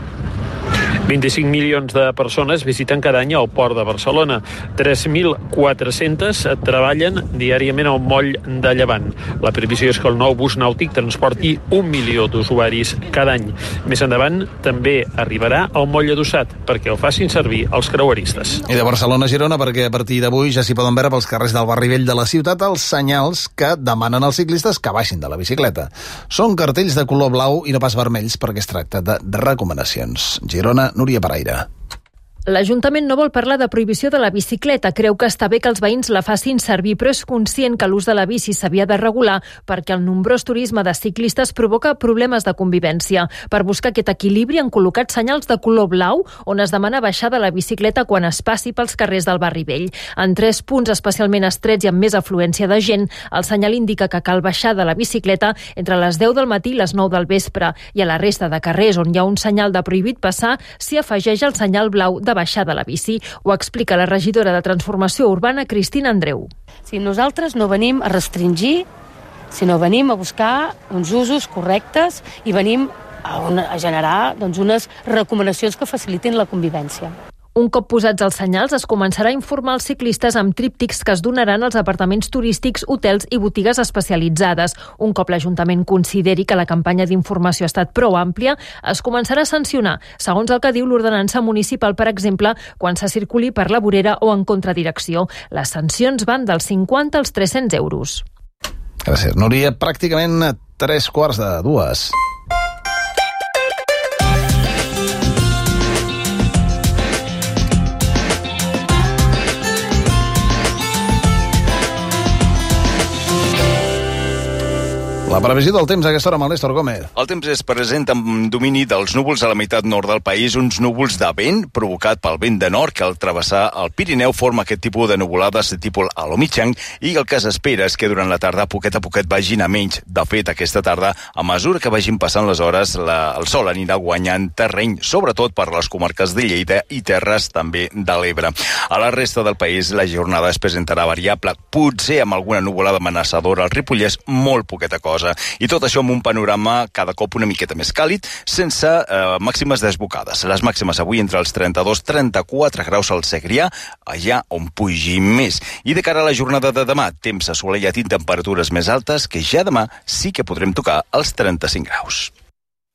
25 milions de persones visiten cada any el port de Barcelona. 3.400 treballen diàriament al moll de Llevant. La previsió és que el nou bus nàutic transporti 1 milió d'usuaris cada any. Més endavant també arribarà al moll adossat perquè el facin servir els creueristes. I de Barcelona a Girona, perquè a partir d'avui ja s'hi poden veure pels carrers del barri vell de la ciutat els senyals que demanen als ciclistes que baixin de la bicicleta. Són cartells de color blau i no pas vermells perquè es tracta de recomanacions. Girona, Núria Paraire. L'Ajuntament no vol parlar de prohibició de la bicicleta. Creu que està bé que els veïns la facin servir, però és conscient que l'ús de la bici s'havia de regular perquè el nombrós turisme de ciclistes provoca problemes de convivència. Per buscar aquest equilibri han col·locat senyals de color blau on es demana baixar de la bicicleta quan es passi pels carrers del barri vell. En 3 punts especialment estrets i amb més afluència de gent, el senyal indica que cal baixar de la bicicleta entre les 10 del matí i les 9 del vespre, i a la resta de carrers on hi ha un senyal de prohibit passar s'hi afegeix el senyal blau de baixar de la bici. Ho explica la regidora de Transformació Urbana, Cristina Andreu. Si nosaltres no venim a restringir, sinó venim a buscar uns usos correctes i venim a generar unes recomanacions que facilitin la convivència. Un cop posats els senyals, es començarà a informar els ciclistes amb tríptics que es donaran als apartaments turístics, hotels i botigues especialitzades. Un cop l'Ajuntament consideri que la campanya d'informació ha estat prou àmplia, es començarà a sancionar, segons el que diu l'ordenança municipal, per exemple, quan se circuli per la vorera o en contradirecció. Les sancions van dels 50 als 300 euros. Gràcies, Núria. Pràcticament a 3:45. La previsió del temps a aquesta hora amb el Néstor Gómez. El temps es presenta amb domini dels núvols a la meitat nord del país, uns núvols de vent provocat pel vent de nord que al travessar el Pirineu forma aquest tipus de nuvolades de tipus a lo mitjang, i el que s'espera és que durant la tarda poquet a poquet vagin a menys. De fet, aquesta tarda, a mesura que vagin passant les hores, el sol anirà guanyant terreny, sobretot per les comarques de Lleida i terres també de l'Ebre. A la resta del país la jornada es presentarà variable, potser amb alguna nuvolada amenaçadora al Ripollès, molt poqueta cosa. I tot això amb un panorama cada cop una miqueta més càlid, sense màximes desbocades. Les màximes avui entre els 32-34 graus al Segrià, allà on pugi més. I de cara a la jornada de demà, temps assolellat i temperatures més altes, que ja demà sí que podrem tocar els 35 graus.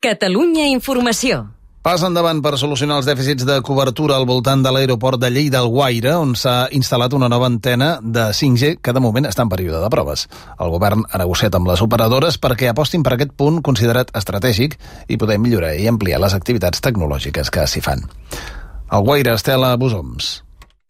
Catalunya Informació. Pas endavant per solucionar els dèficits de cobertura al voltant de l'aeroport de Lleida-Alguaire, on s'ha instal·lat una nova antena de 5G que de moment està en període de proves. El govern ha negociat amb les operadores perquè apostin per aquest punt considerat estratègic i poder millorar i ampliar les activitats tecnològiques que s'hi fan. Alguaire, Estela Busoms.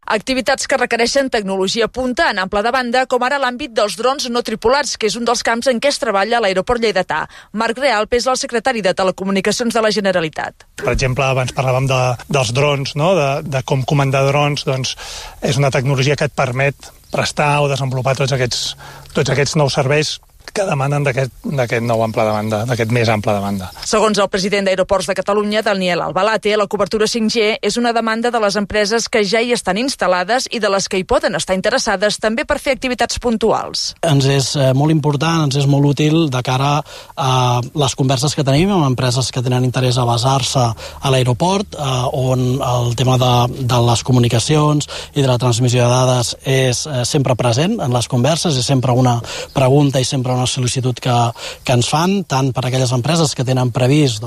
Activitats que requereixen tecnologia punta en ample de banda, com ara l'àmbit dels drons no tripulats, que és un dels camps en què es treballa a l'aeroport lleidatà. Marc Realp és el secretari de Telecomunicacions de la Generalitat. Per exemple, abans parlàvem dels drons, no? de com comandar drons, doncs és una tecnologia que et permet prestar o desenvolupar tots aquests nous serveis que demanen d'aquest nou ample de banda, d'aquest més ample de banda. Segons el president d'Aeroports de Catalunya, Daniel Albalate, la cobertura 5G és una demanda de les empreses que ja hi estan instal·lades i de les que hi poden estar interessades també per fer activitats puntuals. Ens és molt important, ens és molt útil de cara a les converses que tenim amb empreses que tenen interès a basar-se a l'aeroport, on el tema de les comunicacions i de la transmissió de dades és sempre present en les converses, és sempre una pregunta i sempre una sol·licitud que ens fan, tant per aquelles empreses que tenen previst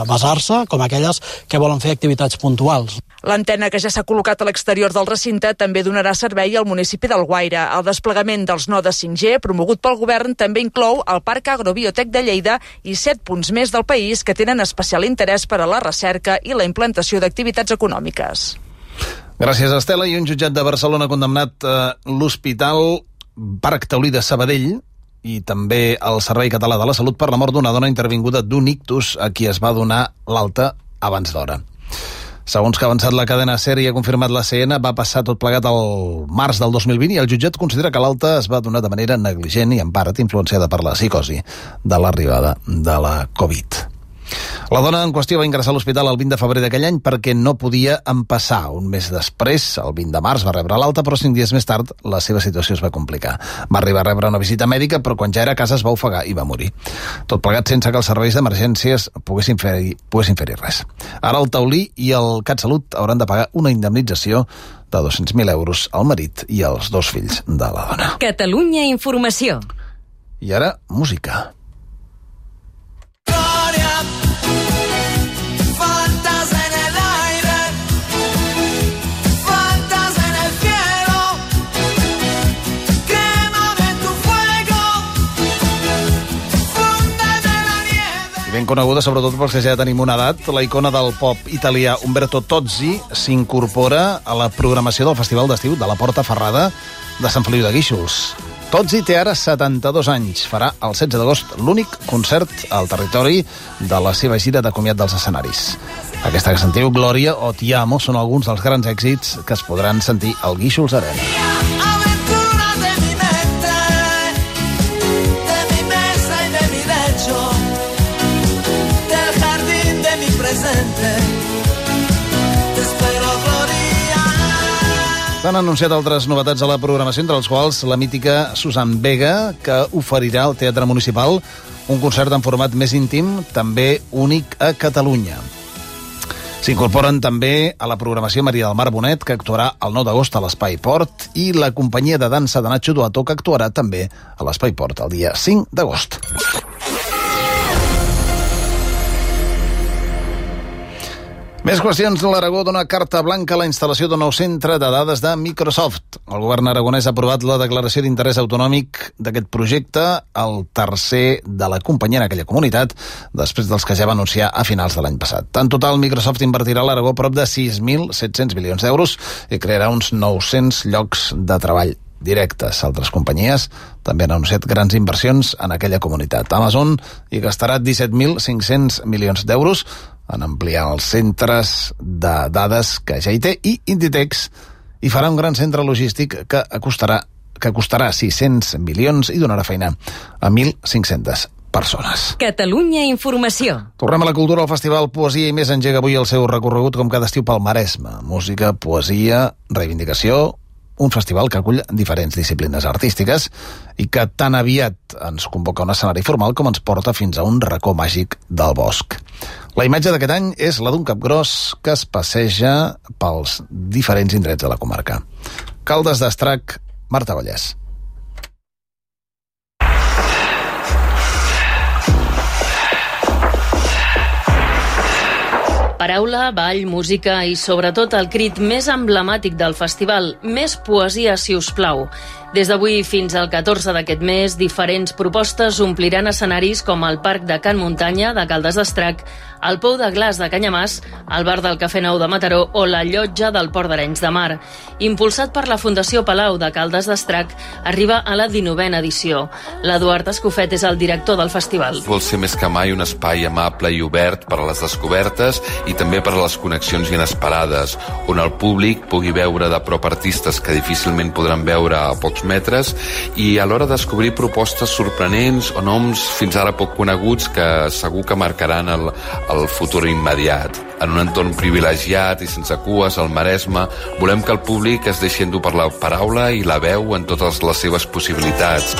basar-se, com aquelles que volen fer activitats puntuals. L'antena que ja s'ha col·locat a l'exterior del recinte també donarà servei al municipi d'Alguaire. El desplegament dels nodes 5G, promogut pel govern, també inclou el Parc Agrobiotec de Lleida i 7 punts més del país que tenen especial interès per a la recerca i la implantació d'activitats econòmiques. Gràcies, Estela. I un jutjat de Barcelona ha condemnat l'Hospital Parc Taulí de Sabadell i també el Servei Català de la Salut per la mort d'una dona intervinguda d'un ictus a qui es va donar l'alta abans d'hora. Segons que ha avançat la cadena SER i ha confirmat la CN, va passar tot plegat al març del 2020 i el jutjat considera que l'alta es va donar de manera negligent i en part influenciada per la psicosi de l'arribada de la Covid. La dona en qüestió va ingressar a l'hospital el 20 de febrer d'aquell any perquè no podia empassar. Un mes després, el 20 de març, va rebre l'alta, però 5 dies més tard la seva situació es va complicar. Va arribar a rebre una visita mèdica, però quan ja era a casa es va ofegar i va morir. Tot plegat sense que els serveis d'emergències poguessin fer-hi res. Ara el taulí i el CatSalut hauran de pagar una indemnització de 200.000 euros al marit i als 2 fills de la dona. Catalunya Informació. I ara, música. Ben coneguda, sobretot perquè ja tenim una edat, la icona del pop italià Umberto Tozzi s'incorpora a la programació del Festival d'Estiu de la Porta Ferrada de Sant Feliu de Guíxols. Tozzi té ara 72 anys. Farà el 16 d'agost l'únic concert al territori de la seva gira de comiat dels escenaris. Aquesta que sentiu, Glòria o Ti amo, són alguns dels grans èxits que es podran sentir al Guíxols Arena. S'han anunciat altres novetats a la programació, entre les quals la mítica Susan Vega, que oferirà al Teatre Municipal un concert en format més íntim, també únic a Catalunya. S'incorporen també a la programació Maria del Mar Bonet, que actuarà el 9 d'agost a l'Espai Port, i la companyia de dansa de Nacho Duato, que actuarà també a l'Espai Port el dia 5 d'agost. Més qüestions. L'Aragó dona carta blanca a la instal·lació d'un nou centre de dades de Microsoft. El govern aragonès ha aprovat la declaració d'interès autonòmic d'aquest projecte, el tercer de la companyia en aquella comunitat, després dels que ja va anunciar a finals de l'any passat. En total, Microsoft invertirà a l'Aragó prop de 6.700 milions d'euros i crearà uns 900 llocs de treball directes. Altres companyies també han anunciat grans inversions en aquella comunitat. Amazon hi gastarà 17.500 milions d'euros en ampliar els centres de dades que ja hi té, i Inditex hi farà un gran centre logístic que costarà 600 milions i donarà feina a 1.500 persones. Catalunya Informació. Tornem a la cultura. El Festival Poesia i Més engega avui el seu recorregut com cada estiu pel Maresme. Música, poesia, reivindicació, un festival que acull diferents disciplines artístiques i que tan aviat ens convoca a un escenari formal com ens porta fins a un racó màgic del bosc. La imatge d'aquest any és la d'un capgròs que es passeja pels diferents indrets de la comarca. Caldes d'Estrac, Marta Vallès. Paraula, ball, música i sobretot el crit més emblemàtic del festival, més poesia, si us plau. Des d'avui fins al 14 d'aquest mes, diferents propostes ompliran escenaris com el Parc de Can Muntanya de Caldes d'Estrac, el Pou de Glaç de Canyamàs, el Bar del Cafè Nou de Mataró o la Llotja del Port d'Arenys de Mar. Impulsat per la Fundació Palau de Caldes d'Estrac, arriba a la 19a edició. L'Eduard Escofet és el director del festival. Vol ser més que mai un espai amable i obert per a les descobertes i també per a les connexions inesperades, on el públic pugui veure de prop artistes que difícilment podran veure a pocs metres i alhora descobrir propostes sorprenents o noms fins ara poc coneguts que segur que marcaran el futur immediat. En un entorn privilegiat i sense cues al Maresme, volem que el públic es deixi endur per la paraula i la veu en totes les seves possibilitats.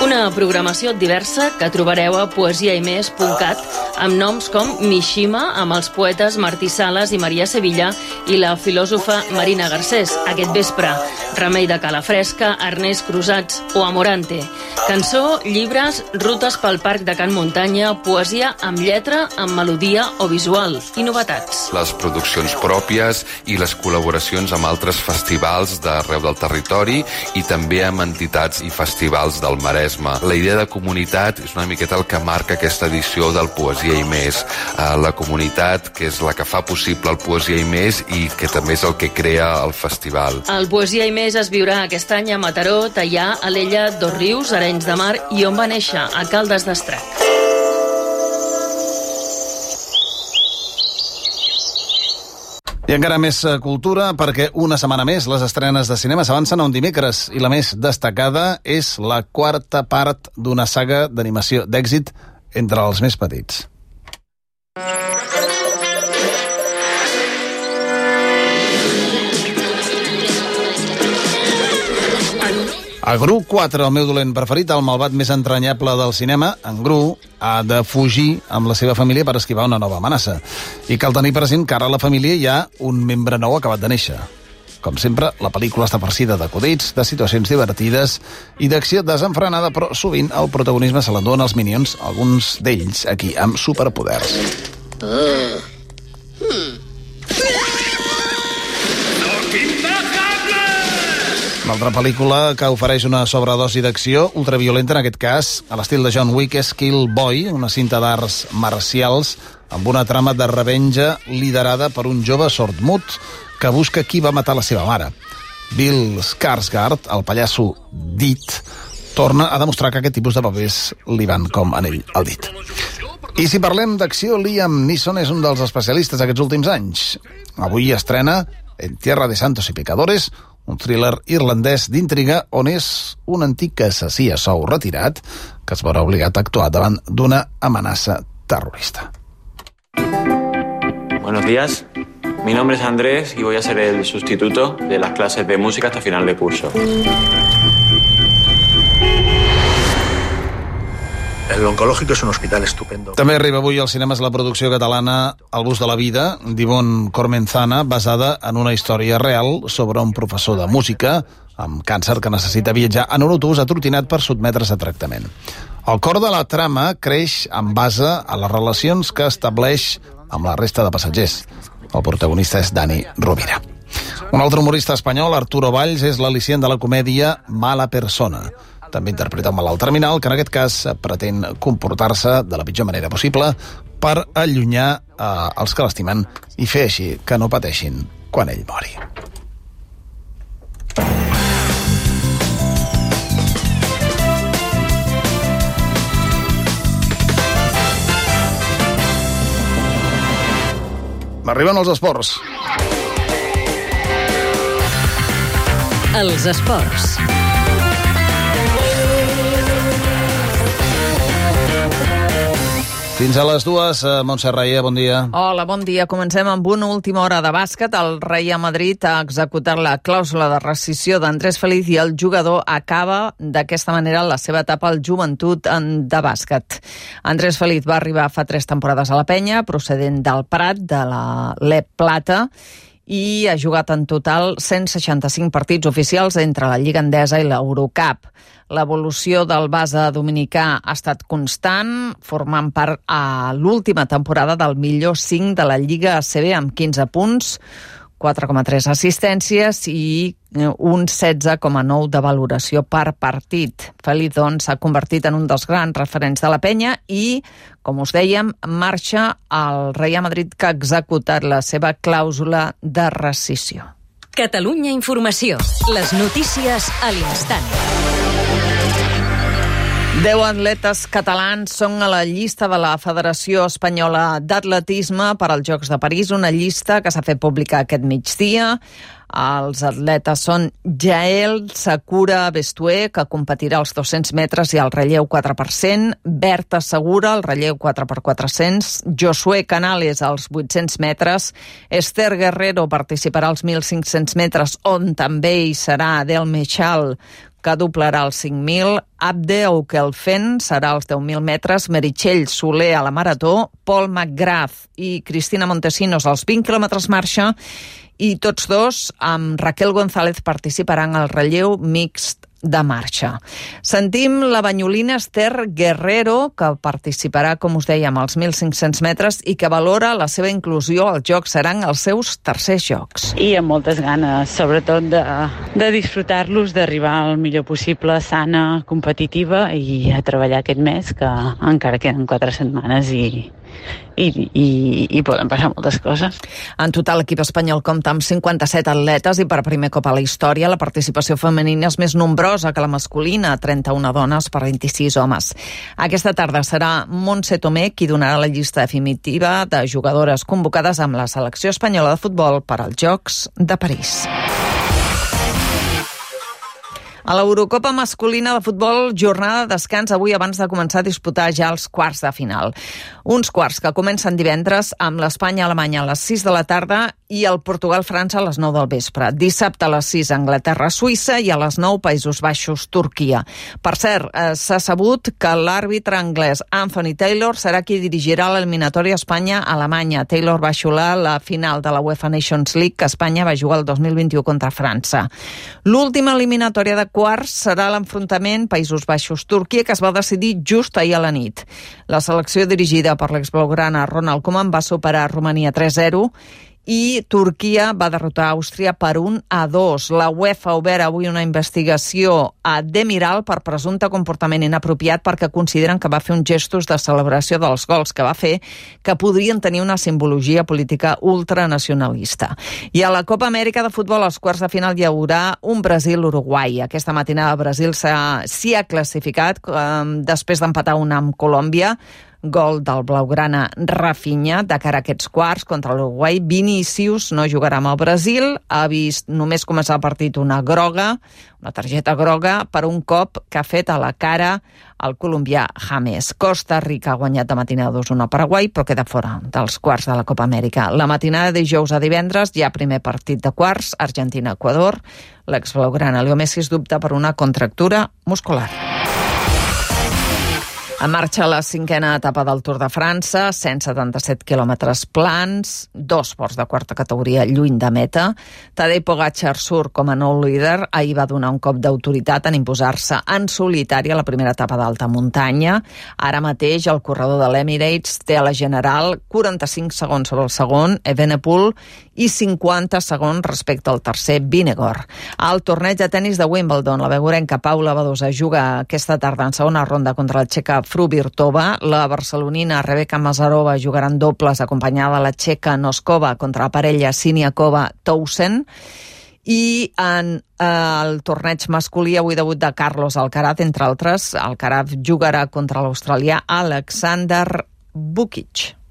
Una programació diversa que trobareu a poesiaimes.cat amb noms com Mishima, amb els poetes Martí Sales i Maria Sevilla, i la filòsofa Marina Garcés. Aquest vespre, Remei de Calafresca, Ernest Crusats o Amorante. Cançó, llibres, rutes pel Parc de Can Muntanya, poesia amb lletra, amb melodia o visual, i novetats. Les produccions pròpies i les col·laboracions amb altres festivals d'arreu del territori i també amb entitats i festivals del Maresme. La idea de comunitat és una miqueta el que marca aquesta edició del Poesia i Més. La comunitat, que és la que fa possible el Poesia i Més i que també és el que crea el festival. El Poesia i Més es viurà aquest any a Mataró, Teià, Alella, Dosrius, Arenys de Mar i on va néixer, a Caldes d'Estrac. I encara més cultura, perquè una setmana més les estrenes de cinema s'avancen a un dimecres i la més destacada és la quarta part d'una saga d'animació d'èxit entre els més petits. A Gru 4, el meu dolent preferit, el malvat més entranyable del cinema, en Gru ha de fugir amb la seva família per esquivar una nova amenaça. I cal tenir present que ara a la família hi ha un membre nou acabat de néixer. Com sempre, la pel·lícula està farcida d'acudits, de situacions divertides i d'acció desenfrenada, però sovint el protagonisme se l'enduen als Minions, alguns d'ells aquí amb superpoders. Una altra pel·lícula que ofereix una sobredosi d'acció ultraviolenta, en aquest cas, a l'estil de John Wick, és Kill Boy, una cinta d'arts marcials amb una trama de revenja liderada per un jove sordmut que busca qui va matar la seva mare. Bill Skarsgård, el pallasso dit, torna a demostrar que aquest tipus de papers li van com anell al dit. I si parlem d'acció, Liam Neeson és un dels especialistes aquests últims anys. Avui estrena En Tierra de Santos y Pecadores, un thriller irlandès d'intriga on és un antic assassí a sou retirat que es veurà obligat a actuar davant d'una amenaça terrorista. Buenos días, mi nombre es Andrés y voy a ser el sustituto de las clases de música hasta final de curso. El oncológico es un hospital estupendo. També arriba avui als cinemes la producció catalana El bus de la vida, d'Ivonne Cormenzana, basada en una història real sobre un professor de música amb càncer que necessita viatjar en un autobús atrotinat per sotmetre's a tractament. El cor de la trama creix en base a les relacions que estableix amb la resta de passatgers. El protagonista és Dani Rovira. Un altre humorista espanyol, Arturo Valls, és l'al·licient de la comèdia Mala persona. També interpreta un malalt terminal que en aquest cas pretén comportar-se de la pitjor manera possible per allunyar els que l'estimen i fer així que no pateixin quan ell mori. Arriben els esports. Els esports. Fins a les 2, Montse Raia, bon dia. Hola, bon dia. Comencem amb una última hora de bàsquet. El Real Madrid ha executat la clàusula de rescissió d'Andrés Feliz i el jugador acaba d'aquesta manera la seva etapa al Joventut de bàsquet. Andrés Feliz va arribar fa 3 temporades a la Penya, procedent del Prat, de la LEP Plata, i ha jugat en total 165 partits oficials entre la Lliga Endesa i l'Eurocup. L'evolució del base dominicà ha estat constant, formant part a l'última temporada del millor 5 de la Lliga ACB amb 15 punts, 4,3 assistències i un 16,9 de valoració per partit. Feliz, doncs, s'ha convertit en un dels grans referents de la Penya i, com us dèiem, marxa al Real Madrid, que ha executat la seva clàusula de rescissió. Catalunya Informació. Les notícies a l'instant. 10 atletes catalans són a la llista de la Federació Espanyola d'Atletisme per als Jocs de París, una llista que s'ha fet pública aquest migdia. Els atletes són Jael Sakura Bestué, que competirà als 200 metres i al relleu 4%, Berta Segura, al relleu 4x400, Josué Canales als 800 metres, Esther Guerrero participarà als 1.500 metres, on també hi serà Adel Mechal, que doblarà els 5.000, Abde Aukelfen serà als 10.000 metres, Meritxell Soler a la marató, Paul McGrath i Cristina Montesinos als 20 quilòmetres marxa, i tots dos, amb Raquel González, participaran al relleu mixt de marxa. Sentim la banyolina Esther Guerrero, que participarà, com us dèiem, als 1.500 metres i que valora la seva inclusió als Jocs. Seran els seus tercers Jocs. I amb moltes ganes, sobretot de disfrutar-los, d'arribar al millor possible, sana, competitiva i a treballar aquest mes, que encara queden 4 setmanes i poden passar moltes coses. En total, l'equip espanyol compta amb 57 atletes i per primer cop a la història la participació femenina és més nombrosa nombrosa que la masculina, 31 dones per 26 homes. Aquesta tarda serà Montse Tomé qui donarà la llista definitiva de jugadores convocades amb la selecció espanyola de futbol per als Jocs de París. A l'Eurocopa masculina de futbol, jornada de descans avui abans de començar a disputar ja els quarts de final. Uns quarts que comencen divendres amb l'Espanya-Alemanya a les 6 de la tarda i el Portugal-França a les 9 del vespre. Dissabte a les 6 Anglaterra-Suïssa i a les 9 Països Baixos-Turquia. Per cert, s'ha sabut que l'àrbitre anglès Anthony Taylor serà qui dirigirà l'eliminatòria Espanya-Alemanya. Taylor va xiular la final de la UEFA Nations League que Espanya va jugar el 2021 contra França. L'última eliminatòria de quarts serà l'enfrontament Països Baixos-Turquia que es va decidir just ahir a la nit. La selecció dirigida per l'exblaugrana Ronald Koeman va superar Romania 3-0 i Turquia va derrotar Àustria per 1-2. La UEFA ha obert avui una investigació a Demiral per presumpte comportament inapropiat perquè consideren que va fer uns gestos de celebració dels gols que va fer que podrien tenir una simbologia política ultranacionalista. I a la Copa Amèrica de futbol als quarts de final hi haurà un Brasil-Uruguai. Aquesta matinada Brasil s'hi ha classificat després d'empatar una amb Colòmbia. Gol del blaugrana Rafinha de cara a aquests quarts contra l'Uruguai. Vinícius no jugarà amb el Brasil, ha vist només començar el partit una targeta groga per un cop que ha fet a la cara el colombià James. Costa Rica ha guanyat de matinada 2-1 a Paraguai, però queda fora dels quarts de la Copa Amèrica. La matinada de dijous a divendres hi ha primer partit de quarts, Argentina-Equador. L'exblaugrana Leo Messi dubta per una contractura muscular. En marxa la 5a etapa del Tour de França, 177 quilòmetres plans, 2 ports de quarta categoria lluny de meta. Tadej Pogačar surt com a nou líder. Ahir va donar un cop d'autoritat en imposar-se en solitari a la primera etapa d'alta muntanya. Ara mateix el corredor de l'Emirates té a la general 45 segons sobre el segon, Evenepoel, i 50 segons respecte al tercer, Vingegaard. Al torneig de tennis de Wimbledon, la veguerenca Paula Badosa juga aquesta tarda en segona ronda contra la txeca Fruvirtova. La barcelonina Rebeka Mazarova jugarà en dobles acompanyada de la txeca Noskova contra la parella Siniakova-Towson. I en el torneig masculí avui debut de Carlos Alcaraz, entre altres. Alcaraz jugarà contra l'australià Alexander Vukic.